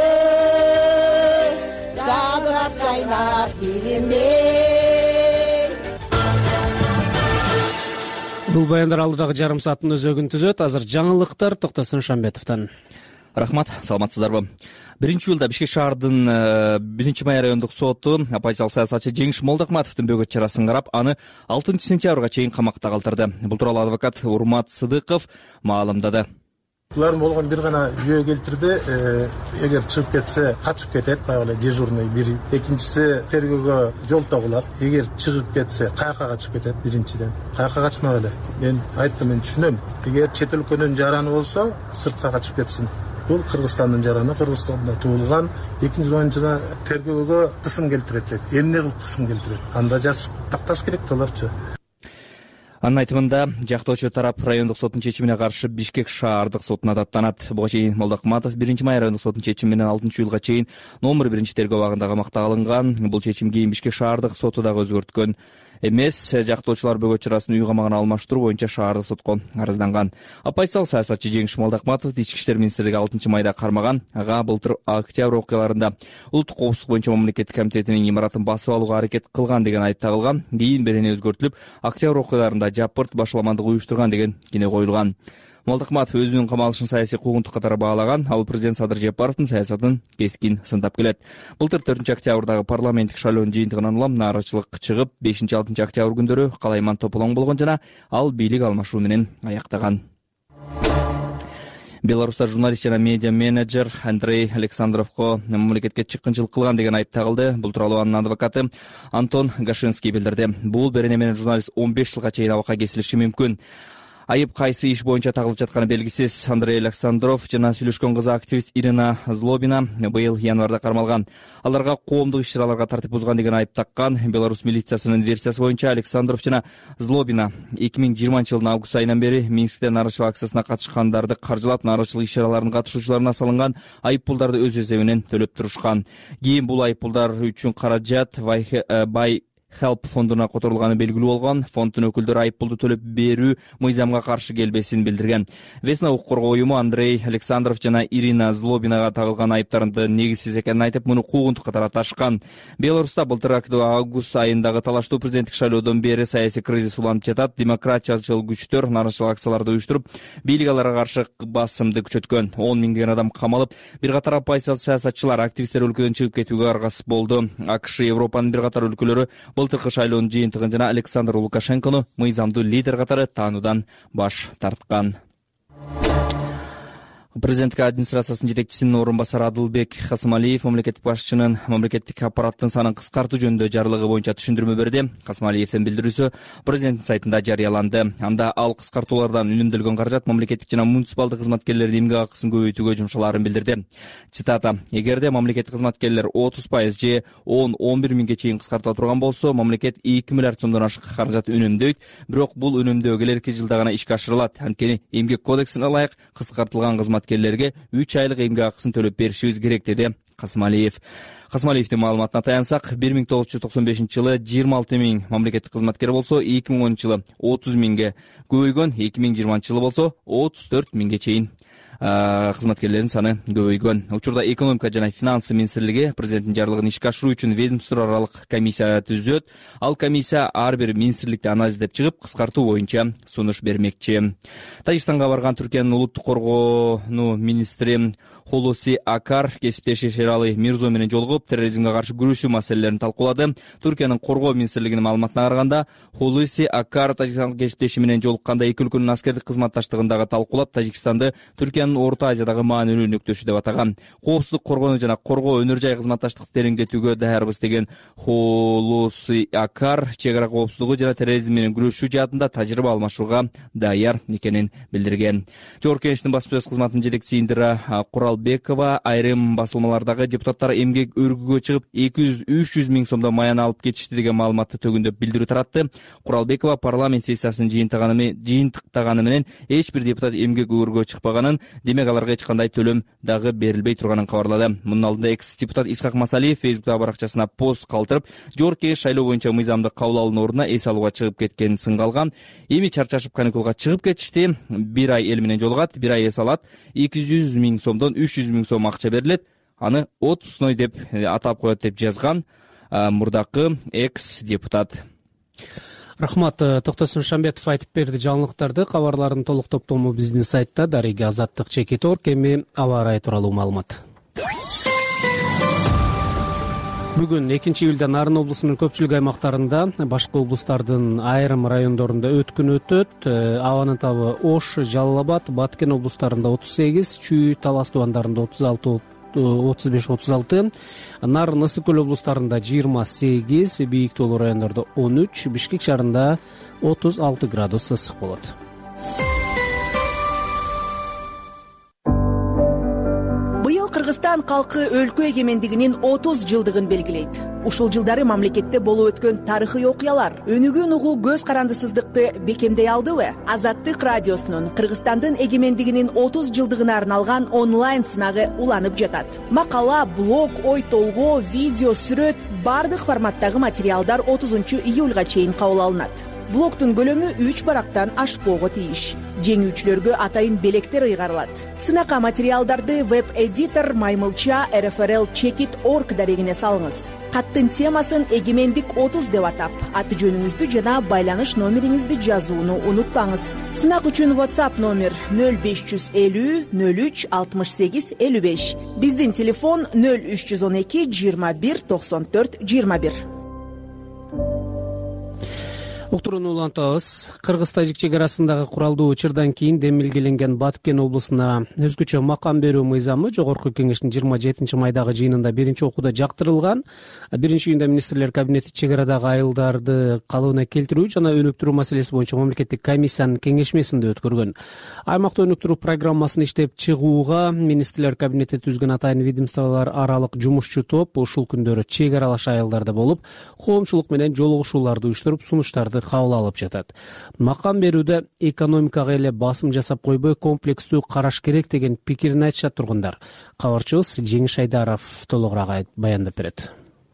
жадырап жайнап билимбей. Бул баяндар алдыдагы жарым сааттын өзөгүн түзөт. Азыр жаңылыктар Токтосун Шамбетовдон. Рахмат, саламатсыздарбы? 1-июлда Бишкек шаардын 1-май райондук соту оппозициялык саясатчы Жеңиш Молдокматовдун бөгөт чарасын карап, аны 6-сентябрга чейин камакта калтырды. Бул тууралуу адвокат Урмат Сыдыков маалымдады. Булар болгон бир гана жөө келтирди. Эгер чыгып кетсе, качып кетет, баягы дежурный бири. Экинчиси тергөөгө жол тогулат. Эгер чыгып кетсе, каяка качып кетет биринчиден. Каяка качмак эле. Мен айттым, мен түшүнөм. Эгер чет өлкөнүн жараны болсо, сыртка качып кетсин. Бул Кыргызстандын жараны, Кыргызстанда туулган. Экинчиден жана тергөөгө кысым келтирет. Эмне кылып кысым келтирет? Анда жазып такташ керек аларчы. Анын айтымында, жактоочу тарап райондук соттун чечимине каршы Бишкек шаардык сотуна даттанат. Буга чейин Молдокматов 1-май райондук соттун чечими менен 6-июлга чейин номер 1-тергөө абагында камакта алынган. Бул чечим кийин Бишкек шаардык соту дагы өзгөрткөн эмес. Жактоочулар бөгөт чарасын үй камагына алмаштыруу боюнча шаардык сотко арызданган. Оппозициялык саясатчы Жеңиш Молдокматов Ички иштер министрлиги 6-майда кармаган. Ага былтыр октябрь окуяларында улуттук коопсуздук боюнча мамлекеттик комитетинин имаратын басып алууга аракет кылган деген айып тагылган. Кийин берени өзгөртүлүп, октябрь окуяларында жапырт башаламандык уюштурган деген кине коюлган. Молдокматов өзүнүн камалышын саясий куугунтук катары баалаган. Ал президент Садыр Жапаровдун саясатын кескин сындап келет. Былтыр 4-октябрдагы парламенттик шайлоонун жыйынтыгынан улам нааразычылык чыгып, 5-6 октябрь күндөрү калайман тополоң болгон жана ал бийлик алмашуу менен аяктаган. Беларуста журналист жана медиа менеджер Андрей Александровго мамлекетке чыккынчылык кылган деген айып тагылды. Бул тууралуу анын адвокаты Антон Гашинский билдирди. Бул берене менен журналист 15 жылга чейин абакка кесилиши мүмкүн. Айып кайсы иш боюнча тагылып жатканы белгисиз. Андрей Александров жана сүйлөшкөн кызы активист Ирина Злобина быйыл январда кармалган. Аларга коомдук иш-чараларга тартип бузган деген айып таккан. Беларусь милициясынын версиясы боюнча Александров жана Злобина 2020 август айынан бери Минскте нааразычылык акциясына катышкандарды каржылап, нааразычылык иш-чараларынын катышуучуларына салынган айып пулдарды өз эсебинен төлөп турушкан. Кийин бул айып пулдар үчүн каражат бай Help фондуна которулганы белгилүү болгон. Фонддун өкүлдөрү айып пулду төлөп берүү мыйзамга каршы келбесин билдирген. Весна укук коргоо уюму Андрей Александров жана Ирина Злобинага тагылган айыптарды негизсиз экенин айтып, муну куугунтук катары аташкан. Беларуста былтыр август айындагы талаштуу президенттик шайлоодон бери саясий кризис уланып жатат. Демократиячыл күчтөр нараачылык акцияларды уюштуруп, бийлик аларга каршы басымды күчөткөн. 10 миңдеген адам камалып, бир катар оппозициялык саясатчылар, активисттер өлкөдөн чыгып кетүүгө аргасыз болду. АКШ, Европанын бир катар өлкөлөрү былтыркы шайлоонун жыйынтыгын жана Александр Лукашенкону мыйзамдуу лидер катары таануудан баш тарткан. Президенттик администрациясынын жетекчисинин орун басары Адылбек Касымалиев мамлекеттик башчынын мамлекеттик аппараттын санын кыскартуу жөнүндө жарлыгы боюнча түшүндүрмө берди. Касымалиевдин билдирүүсү президенттин сайтында жарыяланды. Анда ал кыскартуулардан үнөмдөлгөн каражат мамлекеттик жана муниципалдык кызматкерлердин эмгек акысын көбөйтүүгө жумшалаарын билдирди. Цитата: "Эгерде мамлекеттик кызматкерлер 30% же 10-11 миңге чейин кыскартыла турган болсо, мамлекет 2 миллиард сомдон ашык каражат үнөмдөйт. Бирок бул үнөмдөө келерки жылда гана ишке ашырылат. Анткени эмгек кодексине ылайык кыскартылган кызматкерлерге 3 айлык эмгек акысын төлөп беришибиз керек", деди Касымалиев. Касымалиевдин маалыматына таянсак, 1995-жылы 26 миң мамлекеттик кызматкер болсо, 2010-жылы 30 миңге көбөйгөн, 2020-жылы болсо 34 миңге чейин кызматкерлердин саны көбөйгөн. Учурда экономика жана финансы министрлиги президенттин жарлыгын ишке ашыруу үчүн ведомство аралык комиссия түзөт. Ал комиссия ар бир министрликти анализдеп чыгып, кыскартуу боюнча сунуш бермекчи. Тажикстанга барган Түркиянын улуттук коргонуу министри Холуси Акар кесиптеши Шералы Мирзо менен жолугуп, терроризмге каршы күрөшүү маселелерин талкуулады. Түркиянын коргоо министрлигинин маалыматына караганда, Холуси Акар Тажикстан кесиптеши менен жолукканда эки өлкөнүн аскердик кызматташтыгын дагы талкуулап, Тажикстанды Түркиянын Орто Азиядагы маанилүү өнөктөшү деп атаган. Коопсуздук коргонуу жана коргоо өнөр жай кызматташтыкты тереңдетүүгө даярбыз деген Холуси Акар чек ара коопсуздугу жана терроризм менен күрөшүү жаатында тажрыйба алмашууга даяр экенин билдирген. Жогорку Кеңештин басма сөз кызматынын жетекчиси Индира Куралбекова айрым басылмалардагы депутаттар эмгек өргүгө чыгып 200-300 миң сомдон маян алып кетишти деген маалыматты төгүндөп билдирүү таратты. Куралбекова парламент сессиясын жыйынтыктаганы менен эч бир депутат эмгек өргүгө чыкпаганын, демек аларга эч кандай төлөм дагы берилбей турганын кабарлады. Мунун алдында экс-депутат Исхак Масалиев Фейсбуктагы баракчасына пост калтырып, Жогорку Кеңеш шайлоо боюнча мыйзамды кабыл алуунун ордуна эс алууга чыгып кеткенин сынга алган. Эми чарчашып каникулга чыгып кетишти. Бир ай эл менен жолугат, бир ай эс алат. 200 миң сомдон 300 миң сом акча берилет. Аны отпускной деп атап коет деп жазган мурдакы экс-депутат. Рахмат. Токтосун Шамбетов айтып берди жаңылыктарды. Кабарлардын толук топтому биздин сайтта. Дарыга Азаттык Чекиторг. Эми аба ырайы тууралуу маалымат. Бүгүн 2-июлда Нарын облусунун көпчүлүк аймактарында, башка облустардын айрым райондорунда өткүн өтөт. Абанын табы Ош, Жалал Абад, Баткен облустарында 38, Чүй, Талас тубандарында 35-36, Нарын, Ысык көл облустарында 28, бийик тоолуу райондордо 13, Бишкек шаарында 36 градус ысык болот. Быйыл Кыргызстан калкы өлкө эгемендигинин 30 жылдыгын белгилейт. Ушул жылдары мамлекетте болуп өткөн тарыхый окуялар өнүгүүнү угуу көз карандысыздыкты бекемдей алдыбы? Азаттык радиосунун Кыргызстандын эгемендигинин 30 жылдыгына арналган онлайн сынагы уланып жатат. Макала, блог, ой толгоо, видео, сүрөт бардык форматтагы материалдар 30-июлга чейин кабыл алынат. Блогтун көлөмү 3 барактан ашпоого тийиш. Жеңүүчүлөргө атайын белектер ыйгарылат. Сынакка материалдарды веб-эдитор Маймылча rfrl-checkit.org дарегине салыңыз. Каттын темасын эгемендик 30 деп атап, аты жөнүңүздү жана байланыш номериңизди жазууну унутпаңыз. Сынак үчүн WhatsApp номер 0550 03 68 55. Биздин телефон 0312 21 94 21. Уктурууну улантабыз. Кыргыз-тажик чек арасындагы куралдуу учурдан кийин демилгеленген Баткен облусуна өзгөчө макам берүү мыйзамы Жогорку Кеңештин 27-майдагы жыйынында биринчи окууда жактырылган. 1-июнда министрлер кабинети чек арадагы айылдарды калыбына келтирүү жана өнүктүрүү маселеси боюнча мамлекеттик комиссиянын кеңешмесинде өткөргөн. Аймакта өнүктүрүү программасын иштеп чыгууга министрлер кабинети түзгөн атайын ведомстволор аралык жумушчу топ ушул күндөрү чек аралаш айылдарда болуп, коомчулук менен жолугушууларды уюштуруп, сунуштарды кабыл алып жатат. Макам берүүдө экономикага эле басым жасап койбой, комплекстүү караш керек деген пикирин айтышат тургундар. Кабарчыбыз Жеңиш Айдаров толугураак баяндап берет.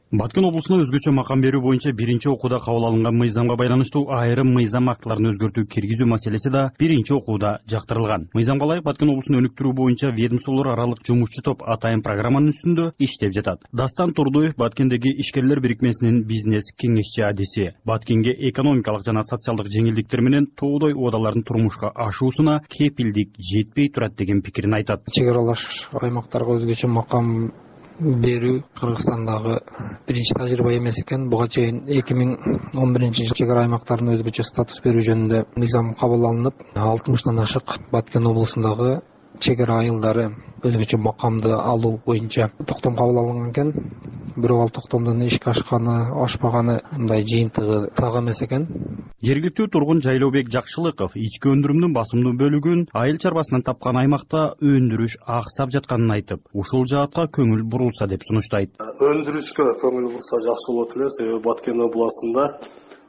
Баткен облусуна өзгөчө макам берүү боюнча биринчи окууда кабыл алынган мыйзамга байланыштуу айрым мыйзам актыларын өзгөртүү киргизүү маселеси да биринчи окууда жактырылган. Мыйзамга ылайык Баткен облусун өнүктүрүү боюнча ведомстволор аралык жумушчу топ атайын программанын үстүндө иштеп жатат. Дастан Турдуев Баткендеги ишкерлер бирикмесинин бизнес кеңешчи адиси. Баткенге экономикалык жана социалдык жеңилдиктер менен тоодой убадалардын турмушка ашуусуна кепилдик жетпей турат деген пикирин айтат. Чек аралаш аймактарга өзгөчө макам берүү Кыргызстандагы биринчи тажрыйба эмес экен. Буга чейин 2011-жылы чек ара аймактарына өзгөчө статус берүү жөнүндө мыйзам кабыл алынып, 60тан ашык Баткен облусундагы чек ара айылдары өзгөчө макамды алуу боюнча токтом кабыл алынган экен. Бирок ал токтомдун ишке ашпаганы мындай жыйынтыгы так эмес экен. Жергиликтүү тургун Жайлообек Жакшылыков ички өндүрүмдүн басымдуу бөлүгүн айыл чарбасынан тапкан аймакта өндүрүш аксап жатканын айтып, ушул жаатка көңүл бурулса деп сунуштайт. Өндүрүшкө көңүл бурса жакшы болот эле, себеби Баткен областында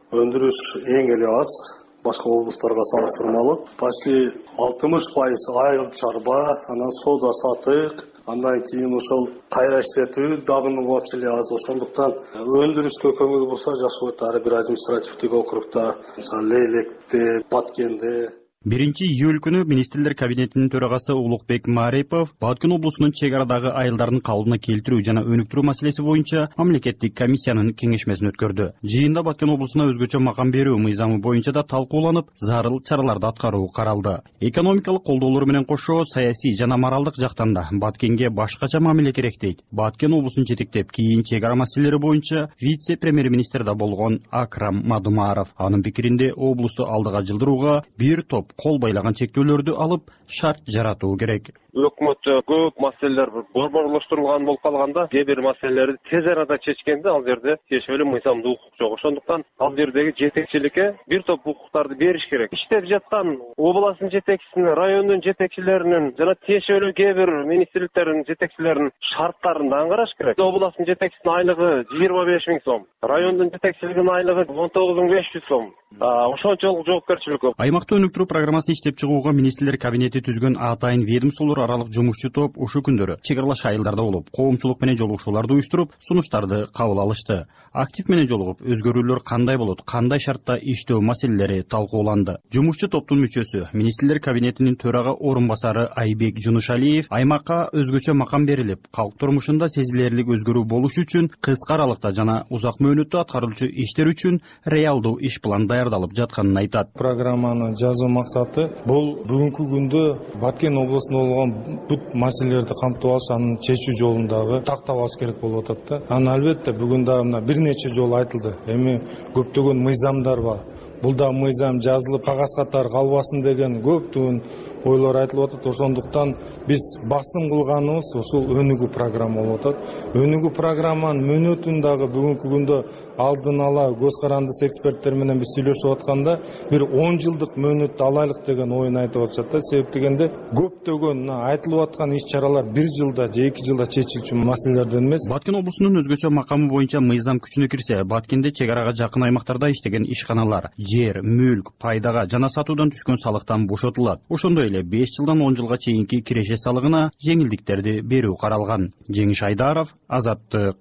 өндүрүш эң эле аз. Башка облустарга салыштырмалуу почти 60% айыл чарба, анан соода сатык, андан кийин ошол кайра иштетүү дагы вообще эле аз. Ошондуктан өндүрүшкө көңүл бурса жакшы болот. Ар бир административдик округда, мисалы Лейлекте, Баткенде. 1-июль күнү министрлер кабинетинин төрагасы Улукбек Марипов Баткен облусунун чек арадагы айылдардын калыбына келтирүү жана өнүктүрүү маселеси боюнча мамлекеттик комиссиянын кеңешмесин өткөрдү. Жыйында Баткен облусуна өзгөчө макам берүү мыйзамы боюнча да талкууланып, зарыл чараларды аткаруу каралды. Экономикалык колдоолор менен кошо саясий жана моралдык жактан да Баткенге башкача мамиле керек дейт. Баткен облусун жетектеп кийин чек ара маселелери боюнча вице-премьер-министр да болгон Акрам Мадумаров. Анын пикиринде облусту алдыга жылдырууга бир топ кол байлаган чектөөлөрдү алып шарт жаратуу керек. Өкмөттө көп маселелер борборлоштурулган болуп калганда, кээ бир маселелерди тез арада чечкенде ал жерде тиешелүү мыйзамдуу укук жок. Ошондуктан ал жердеги жетекчиликке бир топ укуктарды бериш керек. Иштеп жаткан областын жетекчисине, райондун жетекчилеринин жана тиешелүү кээ бир министрликтердин жетекчилеринин шарттарын да караш керек. Областын жетекчисинин айлыгы 25 000 сом, райондун жетекчилигинин айлыгы 19 500 сом. Ошончолук жоопкерчилик көп. Аймакта өнүктүрүү программасын иштеп чыгууга министрлер кабинети түзгөн атайын ведомстволор аралык жумушчу топ ушул күндөрү чек аралаш айылдарда болуп, коомчулук менен жолугушууларды уюштуруп, сунуштарды кабыл алышты. Актив менен жолугуп, өзгөрүүлөр кандай болот, кандай шартта иштөө маселелери талкууланды. Жумушчу топтун мүчөсү, министрлер кабинетинин төрага орун басары Айбек Жунушалиев аймакка өзгөчө макам берилип, калк турмушунда сезилерлик өзгөрүү болуш үчүн кыска аралыкта жана узак мөөнөттө аткарылчу иштер үчүн реалдуу иш план даярдалып жатканын айтат. Программаны жазуу максаты бул бүгүнкү күндө Баткен облусунда болгон бүт маселелерди камтып алыш, аны чечүү жолундагы тактап алыш керек болуп атат да. Аны албетте бүгүн дагы мына бир нече жолу айтылды. Эми көптөгөн мыйзамдар бар. Бул да мыйзам жазылып кагаз катары калбасын деген көптөгөн ойлор айтылып атат. Ошондуктан биз басым кылганыбыз ушул өнүгүү программа болуп атат. Өнүгүү программанын мөөнөтүн дагы бүгүнкү күндө алдын ала көз карандысы эксперттер менен биз сүйлөшүп атканда бир 10 жылдык мөөнөттү алайлык деген оюн айтып атышат да. Себеп дегенде көптөгөн айтылып аткан иш-чаралар 1 жылда же 2 жылда чечилчү маселелерден эмес. Баткен облусунун өзгөчө макамы боюнча мыйзам күчүнө кирсе, Баткенде чек арага жакын аймактарда иштеген ишканалар жер, мүлк, пайдага жана сатуудан түшкөн салыктан бошотулат. Ошондой эле 5 жылдан 10 жылга чейинки киреше салыгына жеңилдиктерди берүү каралган. Жеңиш Айдаров, Азаттык.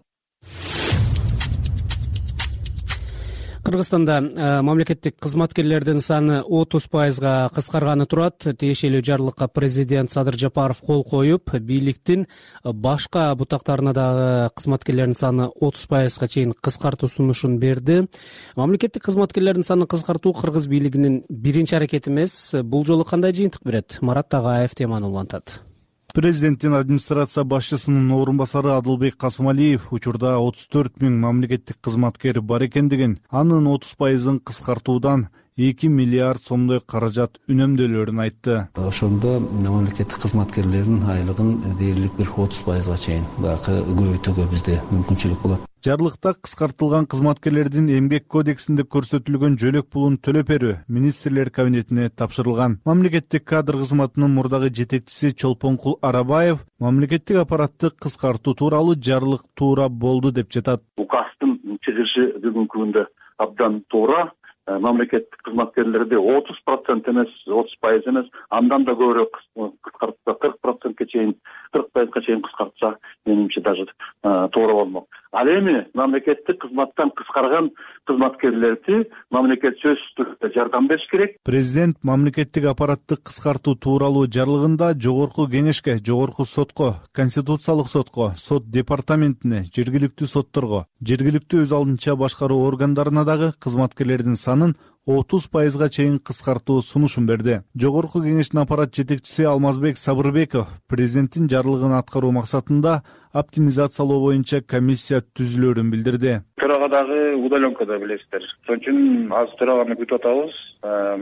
Кыргызстанда мамлекеттик кызматкерлердин саны 30%га кыскарганы турат. Тиешелүү жарлыкка президент Садыр Жапаров кол коюп, бийликтин башка бутактарына дагы кызматкерлердин саны 30%га чейин кыскартуу сунушун берди. Мамлекеттик кызматкерлердин санын кыскартуу кыргыз бийлигинин биринчи аракети эмес. Бул жолу кандай жыйынтык берет? Марат Тагаев теманы улантат. Президенттин администрация башчысынын орун басары Адылбек Касымалиев учурда 34 000 мамлекеттик кызматкер бар экендигин, анын 30%ын кыскартуудан 2 миллиард сомдой каражат үнөмдөлөрүн айтты. Ошондо мамлекеттик кызматкерлердин айлыгын дээрлик бир 30%га чейин көбөйтүүгө бизде мүмкүнчүлүк болот. Жарлыкта кыскартылган кызматкерлердин эмгек кодексинде көрсөтүлгөн жөлөк пулун төлөп берүү министрлер кабинетине тапшырылган. Мамлекеттик кадр кызматынын мурдагы жетекчиси Чолпонкул Арабаев мамлекеттик аппаратты кыскартуу тууралуу жарлык туура болду деп жатат. Указдын чыгышы бүгүнкү күндө абдан туура. Мамлекеттик кызматкерлерди 30% эмес, 30% эмес, андан да көбүрөөк кыскартса, 40%га чейин, 40%га чейин кыскартса, менимче даже туура болмок. Ал эми мамлекеттик кызматтан кыскарган кызматкерлерди мамлекет сөзсүз түрдө жардам бериш керек. Президент мамлекеттик аппаратты кыскартуу тууралуу жарлыгында Жогорку Кеңешке, Жогорку сотко, Конституциялык сотко, сот департаментине, жергиликтүү сотторго, жергиликтүү өз алдынча башкаруу органдарына дагы кызматкерлердин санын 30% чейин кыскартуу сунушун берди. Жогорку Кеңештин аппарат жетекчиси Алмазбек Сабырбеков президенттин жарлыгын аткаруу максатында оптимизациялоо боюнча комиссия түзүлөрүн билдирди. Төрага дагы удаленкада билесиздер. Ошон үчүн азыр төраганы күтүп атабыз.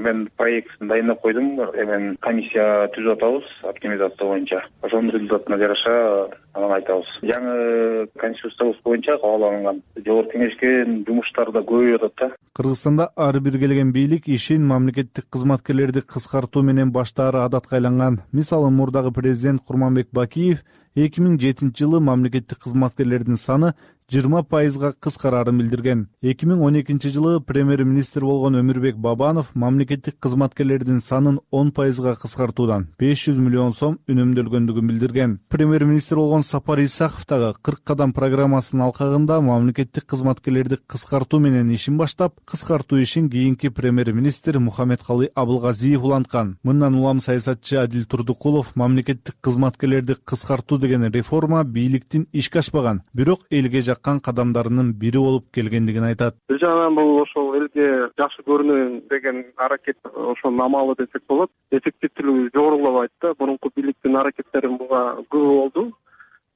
Мен проектин дайындап койдум. Эми комиссия түзүп атабыз оптимизация боюнча. Ошонун результатына жараша анан айтабыз. Жаңы конституциябыз боюнча кабыл алынган Жогорку Кеңешке жумуштар да көбөйүп атат да. Кыргызстанда ар бир келген бийлик ишин мамлекеттик кызматкерлерди кыскартуу менен баштаары адатка айланган. Мисалы, мурдагы президент Курманбек Бакиев 2007-жылы мамлекеттик кызматкерлердин саны 20% кыскарарын билдирген. 2012-жылы премьер-министр болгон Өмүрбек Бабанов мамлекеттик кызматкерлердин санын 10% кыскартуудан 500 миллион сом үнөмдөлгөндүгүн билдирген. Премьер-министр болгон Сапар Исаков дагы 40 кадам программасынын алкагында мамлекеттик кызматкерлерди кыскартуу менен ишин баштап, кыскартуу ишин кийинки премьер-министр Мухаммедкалый Абылгазиев уланткан. Мындан улам саясатчы Адил Турдукулов мамлекеттик кызматкерлерди кыскартуу деген реформа бийликтин ишке ашпаган, бирок элге кадамдарынын бири болуп келгендигин айтат. Бир жагынан бул ошол элге жакшы көрүнөйүн деген аракет, ошонун амалы десек болот. Эффективдүүлүгү жогорулабайт да. Мурунку бийликтин аракеттери буга көп болду.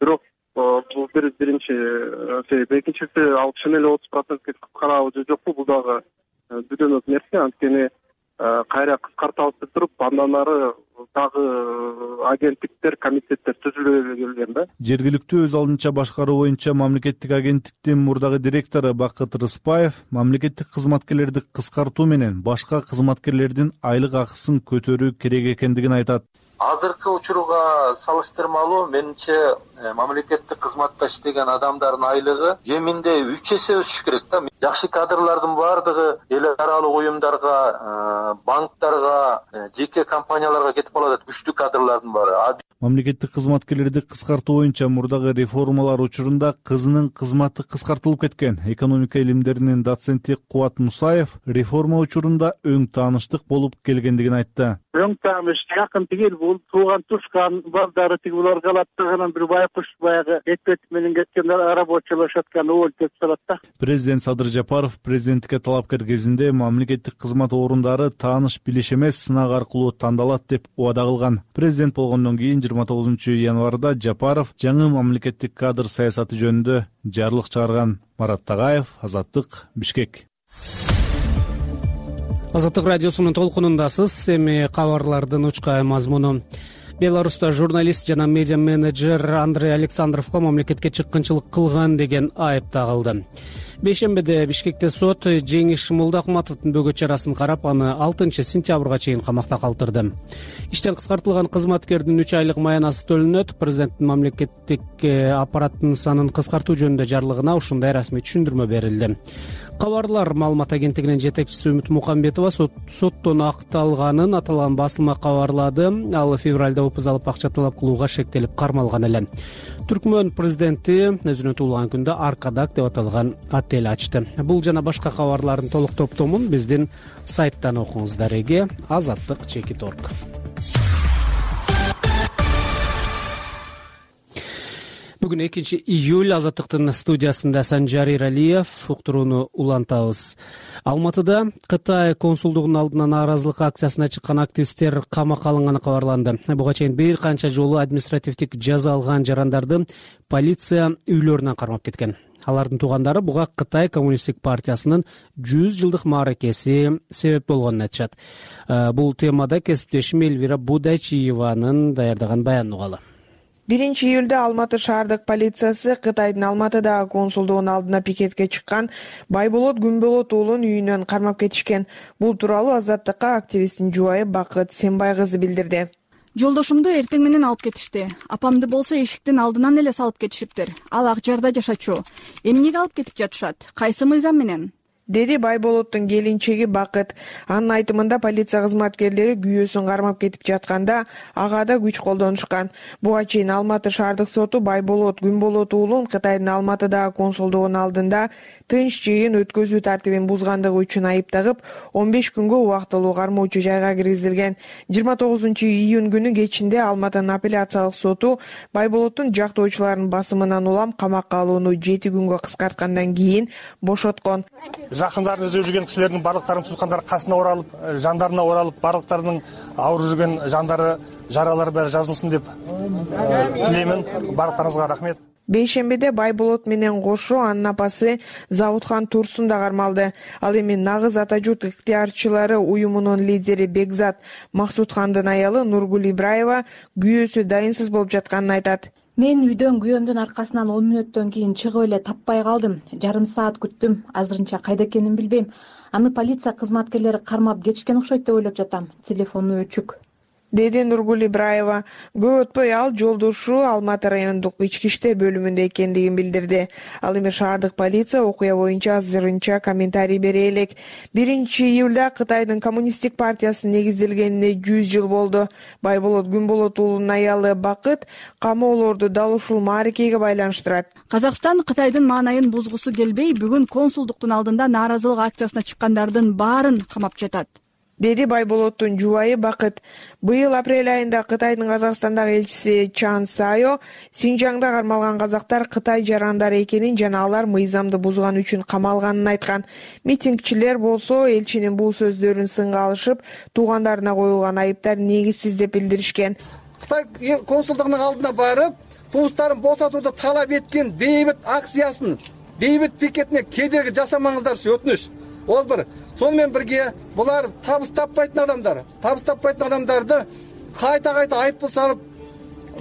Бирок бул биринчи себеп. Экинчиси, ал чын эле 30%ке кыскарабы же жокпу, бул дагы бүдөнөк нерсе. Анткени кайра кыскартабыз деп туруп, андан ары дагы агенттиктер, комитеттер түзүлө келген да. Жергиликтүү өз алдынча башкаруу боюнча мамлекеттик агенттиктин мурдагы директору Бакыт Рыспаев мамлекеттик кызматкерлерди кыскартуу менен башка кызматкерлердин айлык акысын көтөрүү керек экендигин айтат. Азыркы учурга салыштырмалуу менимче мамлекеттик кызматта иштеген адамдардын айлыгы кеминде 3 эсе өсүш керек да. Жакшы кадрлардын баардыгы эл аралык уюмдарга, банктарга, жеке компанияларга кетип калат, күчтүү кадрлардын баары. Мамлекеттик кызматкерлерди кыскартуу боюнча мурдагы реформалар учурунда кызынын кызматы кыскартылып кеткен. Экономика илимдеринин доценти Кубат Мусаев реформа учурунда өң тааныштык болуп келгендигин айтты. Өң тааныш жакын тигил, бул тууган тушкан балдары тигилер калат дагы бир байкуш баягы экпет менен кеткендер рабочылашаткан өл деп салат да. Президент Садыр Жапаров президенттикке талапкер кезинде мамлекеттик кызмат орундары тааныш билиш эмес, сынак аркылуу тандалат деп убада кылган. Президент болгондон кийин 29-январда Жапаров жаңы мамлекеттик кадр саясаты жөнүндө жарлык чыгарган. Марат Тагаев, Азаттык, Бишкек. Азаттык радиосунун толкунундасыз. Эми кабарлардын учкай мазмуну. Беларуста журналист жана медиа менеджер Андрей Александровго мамлекетке чыккынчылык кылган деген айып тагылды. Бейшембиде Бишкекте сот Жеңиш Молдахматовдун бөгөт чарасын карап, аны 6-сентябрга чейин камакта калтырды. Иштен кыскартылган кызматкердин 3 айлык маянасы төлөнөт. Президенттин мамлекеттик аппараттын санын кыскартуу жөнүндө жарлыгына ушундай расмий түшүндүрмө берилди. Кабарлар маалымат агенттигинин жетекчиси Үмүт Мукамбетова соттон акталганын аталган басылма кабарлады. Ал февралда опуз алып акча талап кылууга шектелип кармалган эле. Түркмөн президенти өзүнө туулган күндө Аркадак деп аталган отель ачты. Бул жана башка кабарлардын толук топтомун биздин сайттан окуңуздар. Эге Азаттык.org. Бүгүн 2-июль Азаттыктын студиясында Санжар Иралиев. Уктурууну улантабыз. Алматыда Кытай консулдугунун алдына нааразылык акциясына чыккан активисттер камакка алынганы кабарланды. Буга чейин бир канча жолу административдик жаза алган жарандарды полиция үйлөрүнөн кармап кеткен. Алардын туугандары буга Кытай коммунисттик партиясынын 100 жылдык мааракеси себеп болгонун айтышат. Бул темада кесиптешим Элвира Будайчиеванын даярдаган баянын угалы. 1-июлда Алматы шаардык полициясы Кытайдын Алматыдагы консулдугунун алдына пикетке чыккан Байболот Күнболот уулун үйүнөн кармап кетишкен. Бул тууралуу Азаттыкка активисттин жубайы Бакыт Сембай кызы билдирди. Жолдошумду эртең менен алып кетишти. Апамды болсо эшиктин алдынан эле салып кетишиптир. Ал Ак Жарда жашачу. Эмнеге алып кетип жатышат? Кайсы мыйзам менен? деди Байболоттун келинчеги Бакыт. Анын айтымында полиция кызматкерлери күйөөсүн кармап кетип жатканда ага да күч колдонушкан. Буга чейин Алматы шаардык соту Байболот Күнболот уулун Кытайдын Алматыдагы консулдугунун алдында тынч жыйын өткөзүү тартибин бузгандыгы үчүн айыптагып, 15 күнгө убактылуу кармоочу жайга киргизилген. 29-июнь күнү кечинде Алматынын апелляциялык соту Байболоттун жактоочуларынын басымынан улам камакка алууну 7 күнгө кыскарткандан кийин бошоткон. Жакындарын өзөп жүргөн кишилердин барлыктарынын туускандары касына оралып, жандарына оралып, барлыктарынын ауыр жүргөн жандары, жаралары баары жазылсын деп тилеймин. Барлыктарыңызга рахмет. Бейшембиде Байболот менен кошо анын апасы Завутхан Турсун да кармалды. Ал эми Нагыз ата журт ыктыярчылары уюмунун лидери Бекзат Максутхандын аялы Нургул Ибраева күйөөсү дайынсыз болуп жатканын айтат. Мен үйдөн күйөөмдүн аркасынан 10 мүнөттөн кийин чыгып эле таппай калдым. Жарым саат күттүм. Азырынча кайда экенин билбейм. Аны полиция кызматкерлери кармап кетишкен окшойт деп ойлоп жатам. Телефону өчүк, деди Нургул Ибраева. Көп өтпөй ал жолдошу Алматы райондук ички иштер бөлүмүндө экендигин билдирди. Ал эми шаардык полиция окуя боюнча азырынча комментарий бере элек. 1-июлда Кытайдын коммунисттик партиясынын негизделгенине 100 жыл болду. Байболот Күнболот уулунун аялы Бакыт камоолорду дал ушул мааракеге байланыштырат. Казакстан Кытайдын маанайын бузгусу келбей, бүгүн консулдуктун алдында нааразылык акциясына чыккандардын баарын камап жатат, деди Байболоттун жубайы Бакыт. Быйыл апрель айында Кытайдын Казакстандагы элчиси Чан Сайо Синжаңда кармалган казактар Кытай жарандары экенин жана алар мыйзамды бузган үчүн камалганын айткан. Митингчилер болсо элчинин бул сөздөрүн сынга алышып, туугандарына коюлган айыптар негизсиз деп билдиришкен. Кытай консулдугунун алдына барып, туустарын босотууду талап эткен бейбит акциясын, бейбит пикетине кедерги жасамаңыздарчы өтүнүш. Ол бір. Сонымен бірге бұлар табыс таппайтын адамдарды қайта айыппұл салып,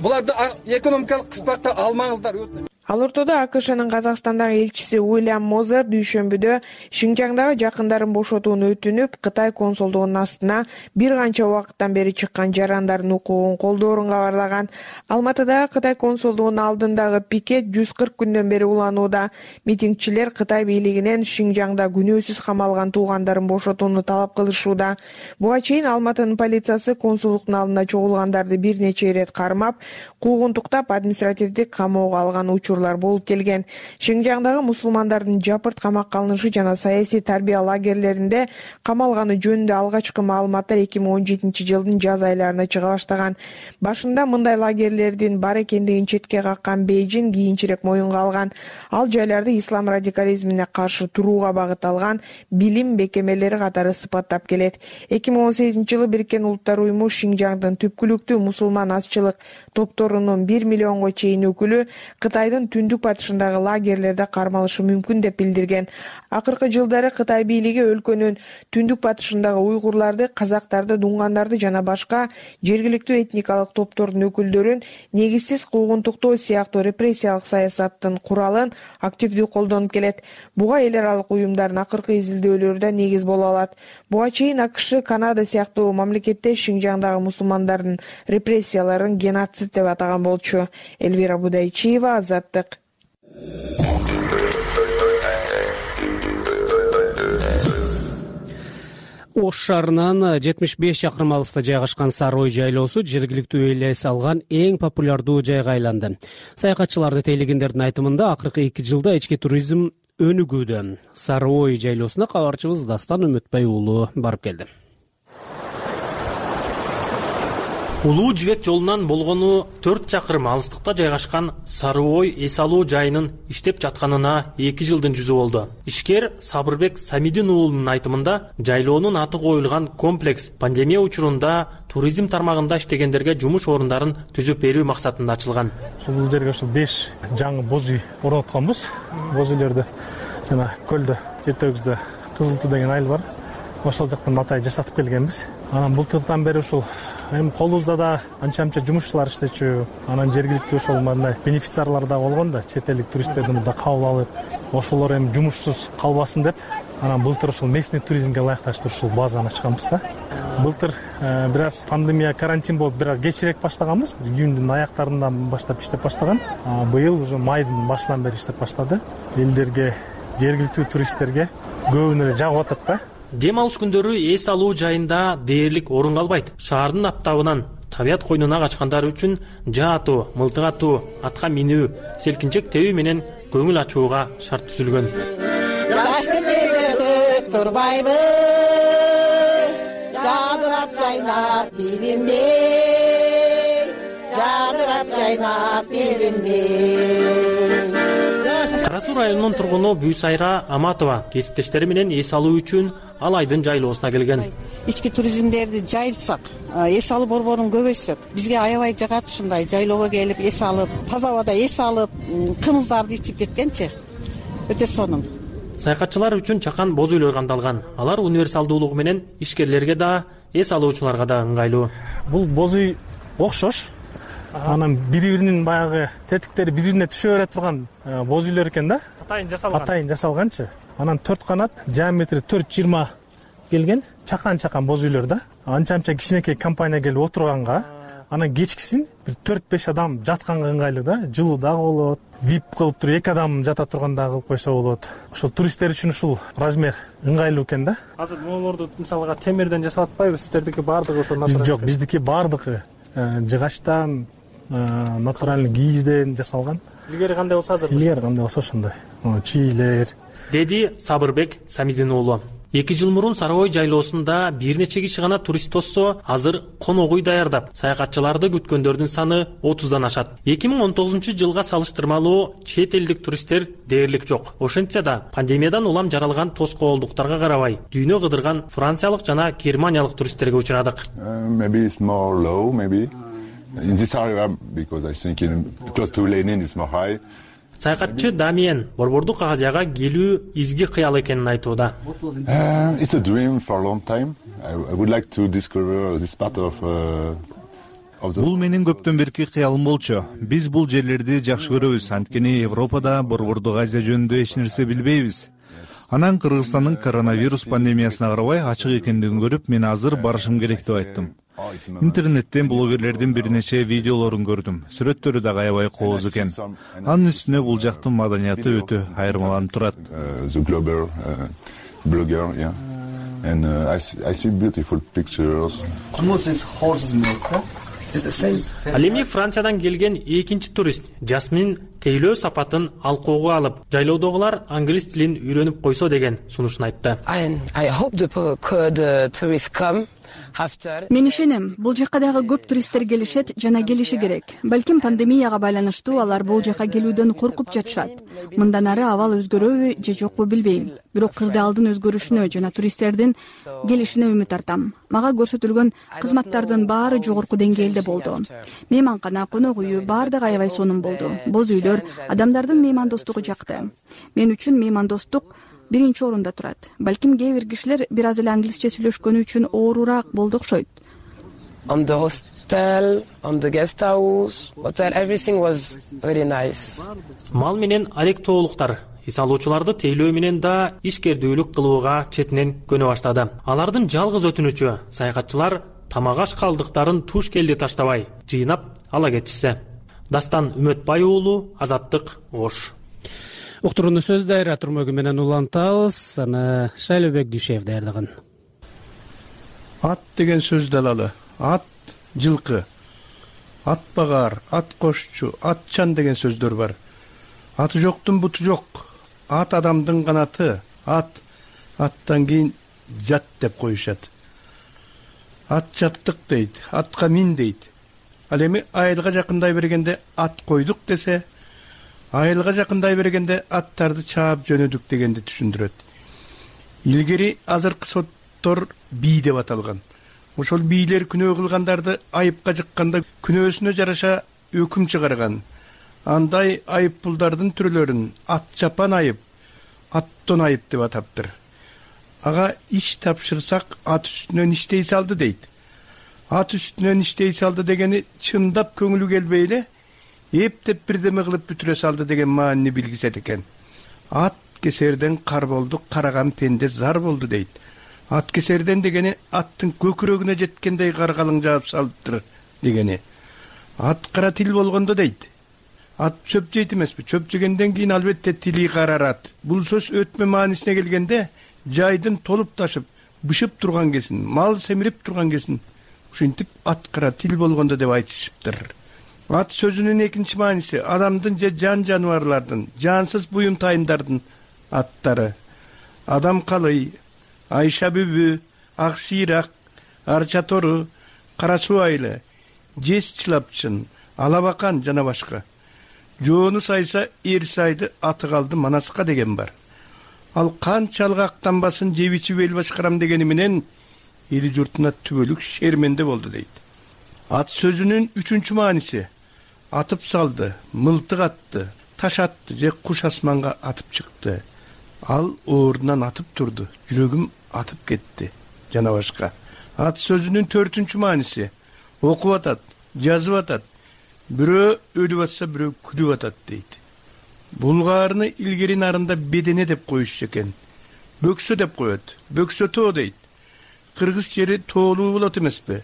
бұларды экономикалық қыспаққа алмаңыздар. Ал ортодо АКШнын Казакстандагы элчиси Уильям Мозер дүйшөмбүдө Шинжаңдагы жакындарын бошотууну өтүнүп, Кытай консулдугунун астына бир канча убакыттан бери чыккан жарандардын укугун колдоорун кабарлаган. Алматыдагы Кытай консулдугунун алдындагы пикет 140 күндөн бери уланууда. Митингчилер Кытай бийлигинен Шинжаңда күнөөсүз камалган туугандарын бошотууну талап кылышууда. Буга чейин Алматынын полициясы консулдуктун алдына чогулгандарды бир нече ирет кармап, куугунтуктап административдик камоого алган учур болуп келген. Шинжаңдагы мусулмандардын жапырт камакка алынышы жана саясий тарбия лагерлеринде камалганы жөнүндө алгачкы маалыматтар 2017 жылдын жаз айларында чыга баштаган. Башында мындай лагерлердин бар экендигин четке каккан Бейжин кийинчерээк моюнга алган. Ал жайларды ислам радикализмине каршы турууга багытталган билим бекемелери катары сыпаттап келет. 2018 жылы Бириккен Улуттар уюму Шинжаңдын түпкүлүктүү мусулман азчылык топторунун 1 миллионго чейин өкүлү Кытайдын түндүк батышындагы лагерлерде кармалышы мүмкүн деп билдирген. Акыркы жылдары Кытай бийлиги өлкөнүн түндүк батышындагы уйгурларды, казактарды, дуңгандарды жана башка жергиликтүү этникалык топтордун өкүлдөрүн негизсиз куугунтуктоо сыяктуу репрессиялык саясаттын куралын активдүү колдонуп келет. Буга эл аралык уюмдардын акыркы изилдөөлөрү да негиз боло алат. Буга чейин АКШ, Канада сыяктуу мамлекетте Шинжаңдагы мусулмандардын репрессияларын геноцид деп атаган болчу. Элвира Будайчиева, Азаттык. Ош шаарынан 75 чакырым алыста жайгашкан Сары Ой жайлоосу жергиликтүү эл эс алган эң популярдуу жайга айланды. Саякатчыларды тейлегендердин айтымында акыркы 2 жылда ички туризм өнүгүүдө. Сары Ой жайлоосуна кабарчыбыз Дастан Үмүтбай уулу барып келди. Улуу Жибек жолунан болгону 4 чакырым алыстыкта жайгашкан Сары Ой эс алуу жайынын иштеп жатканына 2 жылдын жүзү болду. Ишкер Сабырбек Самидин уулунун айтымында, жайлоонун аты коюлган комплекс пандемия учурунда туризм тармагында иштегендерге жумуш орундарын түзүп берүү максатында ачылган. Бул жерге 5 жаңы боз үй орнотконбуз. Боз үйлөрдү жана көлдө жетегибизде Кызылты деген айыл бар. Ошол жактан матай жасатып келгенбиз. Анан былтырдан бери ушул эми колубузда да анча-мынча жумушчулар иштечү. Анан жергиликтүү ошол мындай бенефициарлар да болгон да, чет элдик туристтерди мында кабыл алып, ошолор эми жумушсуз калбасын деп, анан былтыр ушул местный туризмге ылайыкташтырып ушул базаны ачканбыз да. Былтыр бир аз пандемия, карантин болуп бир аз кечирээк баштаганбыз. Июндун аяктарынан баштап иштеп баштаган. Быйыл уже майдын башынан бери иштеп баштады. Элдерге, жергиликтүү туристтерге көбүнө эле жагып атат да. Дем алыш күндөрү эс алуу жайында дээрлик орун калбайт. Шаардын аптабынан табият койнуна качкандар үчүн жаатуу, мылтык атуу, атка минүү, селкинчек тебүү менен көңүл ачууга шарт түзүлгөн. Жашты кезертип турбайбы, жадырап жайнап биримде, жадырап жайнап биримде. Кара Суу районунун тургуну Бүйсайра Аматова кесиптештери менен эс алуу үчүн Алайдын жайлоосуна келген. Ички туризмдерди жайылсак, эс алуу борборун көбөйтсөк, бизге аябай жагат ушундай жайлоого келип эс алып, таза абада эс алып, кымыздарды ичип кеткенчи. Өтө сонун. Саякатчылар үчүн чакан боз үйлөр кандалган. Алар универсалдуулугу менен ишкерлерге да, эс алуучуларга да ыңгайлуу. Бул боз үй окшош. Анан бири-биринин баягы тетиктери бири-бирине түшө бере турган боз үйлөр экен да. Атайын жасалганчы. Анан 4 канат, диаметри 4,20 келген, чакан боз үйлөр да. Анча кичинекей компания келип отурганга, анан кечкисин бир 4-5 адам жатканга ыңгайлуу да. Жылуу дагы болот. VIP кылып туруп 2 адам жата турганда кылып койсо болот. Ошол туристтер үчүн ушул размер ыңгайлуу экен да. Азыр могулорду мисалга темирден жасап атпайбы? Сиздердики баардыгы ошол натуралдуу? Жок, биздики баардыгы жыгачтан, натуральный кийизден жасалган. Илгери кандай болсо азыр? Илгери кандай болсо ошондой. Чийлер. Деди Сабырбек Самидин уулу. 2 жыл мурун Сары Ой жайлоосунда бир нече киши гана турист тоссо, азыр конок үй даярдап, саякатчыларды күткөндөрдүн саны 30дан ашат. 2019-жылга салыштырмалуу чет элдик туристтер дээрлик жок. Ошентсе да, пандемиядан улам жаралган тоскоолдуктарга карабай, дүйнө кыдырган франциялык жана германиялык туристтерге учурадык. Maybe it's more low, maybe. In this area, because I think close to Lenin is more high. Саякатчы Дамиен Борбордук Азияга келүү изги кыял экенин айтууда. It's a dream for a long time. I would like to discover this part of Бул менин көптөн берки кыялым болчу. Биз бул жерлерди жакшы көрөбүз, анткени Европада Борбордук Азия жөнүндө эч нерсе билбейбиз. Анан Кыргызстандын коронавирус пандемиясына карабай ачык экендигин көрүп, мен азыр барышым керек деп айттым. Интернеттен блогерлердин бир нече видеолорун көрдүм. Сүрөттөрү да аябай кооз экен. Анын үстүнө бул жактын маданияты өтө айырмаланып турат. The global blogger, yeah. And I see beautiful pictures. Ал эми Франциядан келген экинчи турист Жасмин тейлөө сапатын алкоого алып, жайлоодогулар англис тилин үйрөнүп койсо деген сунушун айтты. I hope the tourists come. Мен ишенем, бул жакка дагы көп туристтер келишет жана келиши керек. Балким пандемияга байланыштуу алар бул жакка келүүдөн коркуп жатышат. Мындан ары абал өзгөрөбү же жокпу билбейм. Бирок кырдаалдын өзгөрүшүнө жана туристтердин келишине үмүт артам. Мага көрсөтүлгөн кызматтардын баары жогорку деңгээлде болду. Мейманкана, конок үйү баардыгы аябай сонун болду. Боз үйлөр, адамдардын меймандостугу жакты. Мен үчүн меймандостук биринчи орунда турат. Балким кээ бир кишилер бир аз эле англисче сүйлөшкөнү үчүн оорураак болду окшойт. On the hostel, on the guest house, hotel, everything was very nice. Мал менен алектоолуктар эс алуучуларды тейлөө менен да ишкердүүлүк кылууга четинен көнө баштады. Алардын жалгыз өтүнүчү саякатчылар тамак аш калдыктарын туш келди таштабай, жыйнап ала кетишсе. Дастан Үмөтбай уулу, Азаттык, Ош. Уктурууну сөз дайра турмөгү менен улантабыз. Аны Шайлообек Дүйшеев даярдаган. Ат деген сөз далалы. Ат жылкы. Ат багар, ат кошчу, атчан деген сөздөр бар. Аты жоктун буту жок. Ат адамдын канаты. Аттан кийин жат деп коюшат. Ат жаттык дейт, атка мин дейт. Ал эми айылга жакындай бергенде ат койдук десе, айылга жакындай бергенде аттарды чаап жөнөдүк дегенди түшүндүрөт. Илгери азыркы соттор бий деп аталган. Ошол бийлер күнөө кылгандарды айыпка жыкканда күнөөсүнө жараша өкүм чыгарган. Андай айыппулдардын түрлөрүн ат чапан айып, аттон айып деп атаптыр. Ага иш тапшырсак ат үстүнөн иштей салды дейт. Ат үстүнөн иштей салды дегени чындап көңүлү келбей эле эптеп бирдеме кылып бүтүрө салды деген маанини билгизет экен. Ат кесерден кар болду, караган пенде зар болду дейт. Ат кесерден дегени аттын көкүрөгүнө жеткендей каргалың жаап салыптыр дегени. Ат кара тил болгондо дейт. Ат чөп жейт эмеспи? Чөп жегенден кийин албетте тили карарат. Бул сөз өтмө маанисине келгенде жайдын толуп ташып бышып турган кезин, мал семирип турган кезин ушинтип аткара тил болгондо деп айтышыптыр. Ат сөзүнүн экинчи мааниси адамдын же жан жаныбарлардын, жансыз буюмтайымдардын аттары. Адам калый, Айша бүбү, Ак шыйрак, Арча тору, Кара суу айылы, Жез чылапчын, Алабакан жана башка. Жоону сайса эр сайды, аты калды Манаска деген бар. Ал канчалык актанбасын жеп ичип эл башкарам дегени менен эли журтуна түбөлүк шерменде болду дейт. Ат сөзүнүн үчүнчү мааниси атып салды, мылтык атты, таш атты же куш асманга атып чыкты. Ал оорунан атып турду, жүрөгүм атып кетти жана башка. Ат сөзүнүн төртүнчү мааниси окуп атат, жазып атат. Бирөө өлүп атса, бирөө күлүп атат дейт. Булгаарыны илгери нарында бедене деп коюшчу экен. Бөксө деп коет. Бөксө тоо дейт. Кыргыз жери тоолуу болот эмеспи?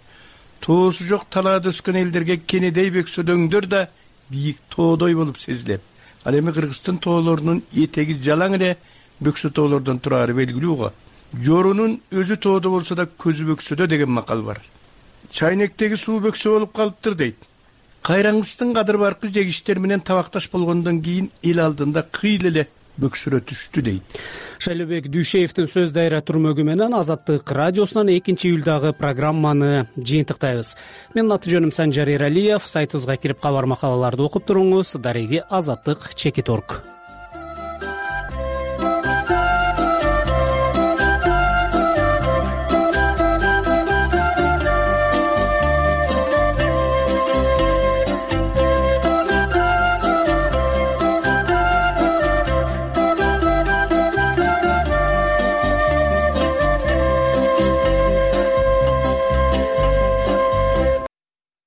Тоосу жок талаада өскөн элдерге кенедей бөксөдөңдөр да бийик тоодой болуп сезилет. Ал эми Кыргыздын тоолорунун этеги жалаң эле бөксө тоолордон турары белгилүү го. Жорунун өзү тоодо болсо да көзү бөксөдө деген макал бар. Чайнектеги суу бөксө болуп калыптыр дейт. Кайраңгыстын кадыр баркы жегиштер менен табакташ болгондон кийин эл алдында кыйыл эле бөксөрө түштү дейт. Шайлообек Дүйшеевдин сөз дайра турмөгү менен Азаттык радиосунан 2-июлдагы программаны жыйынтыктайбыз. Менин аты жөнүм Санжар Эралиев. Сайтыбызга кирип кабар макалаларды окуп туруңуз. Дареги Азаттык _org.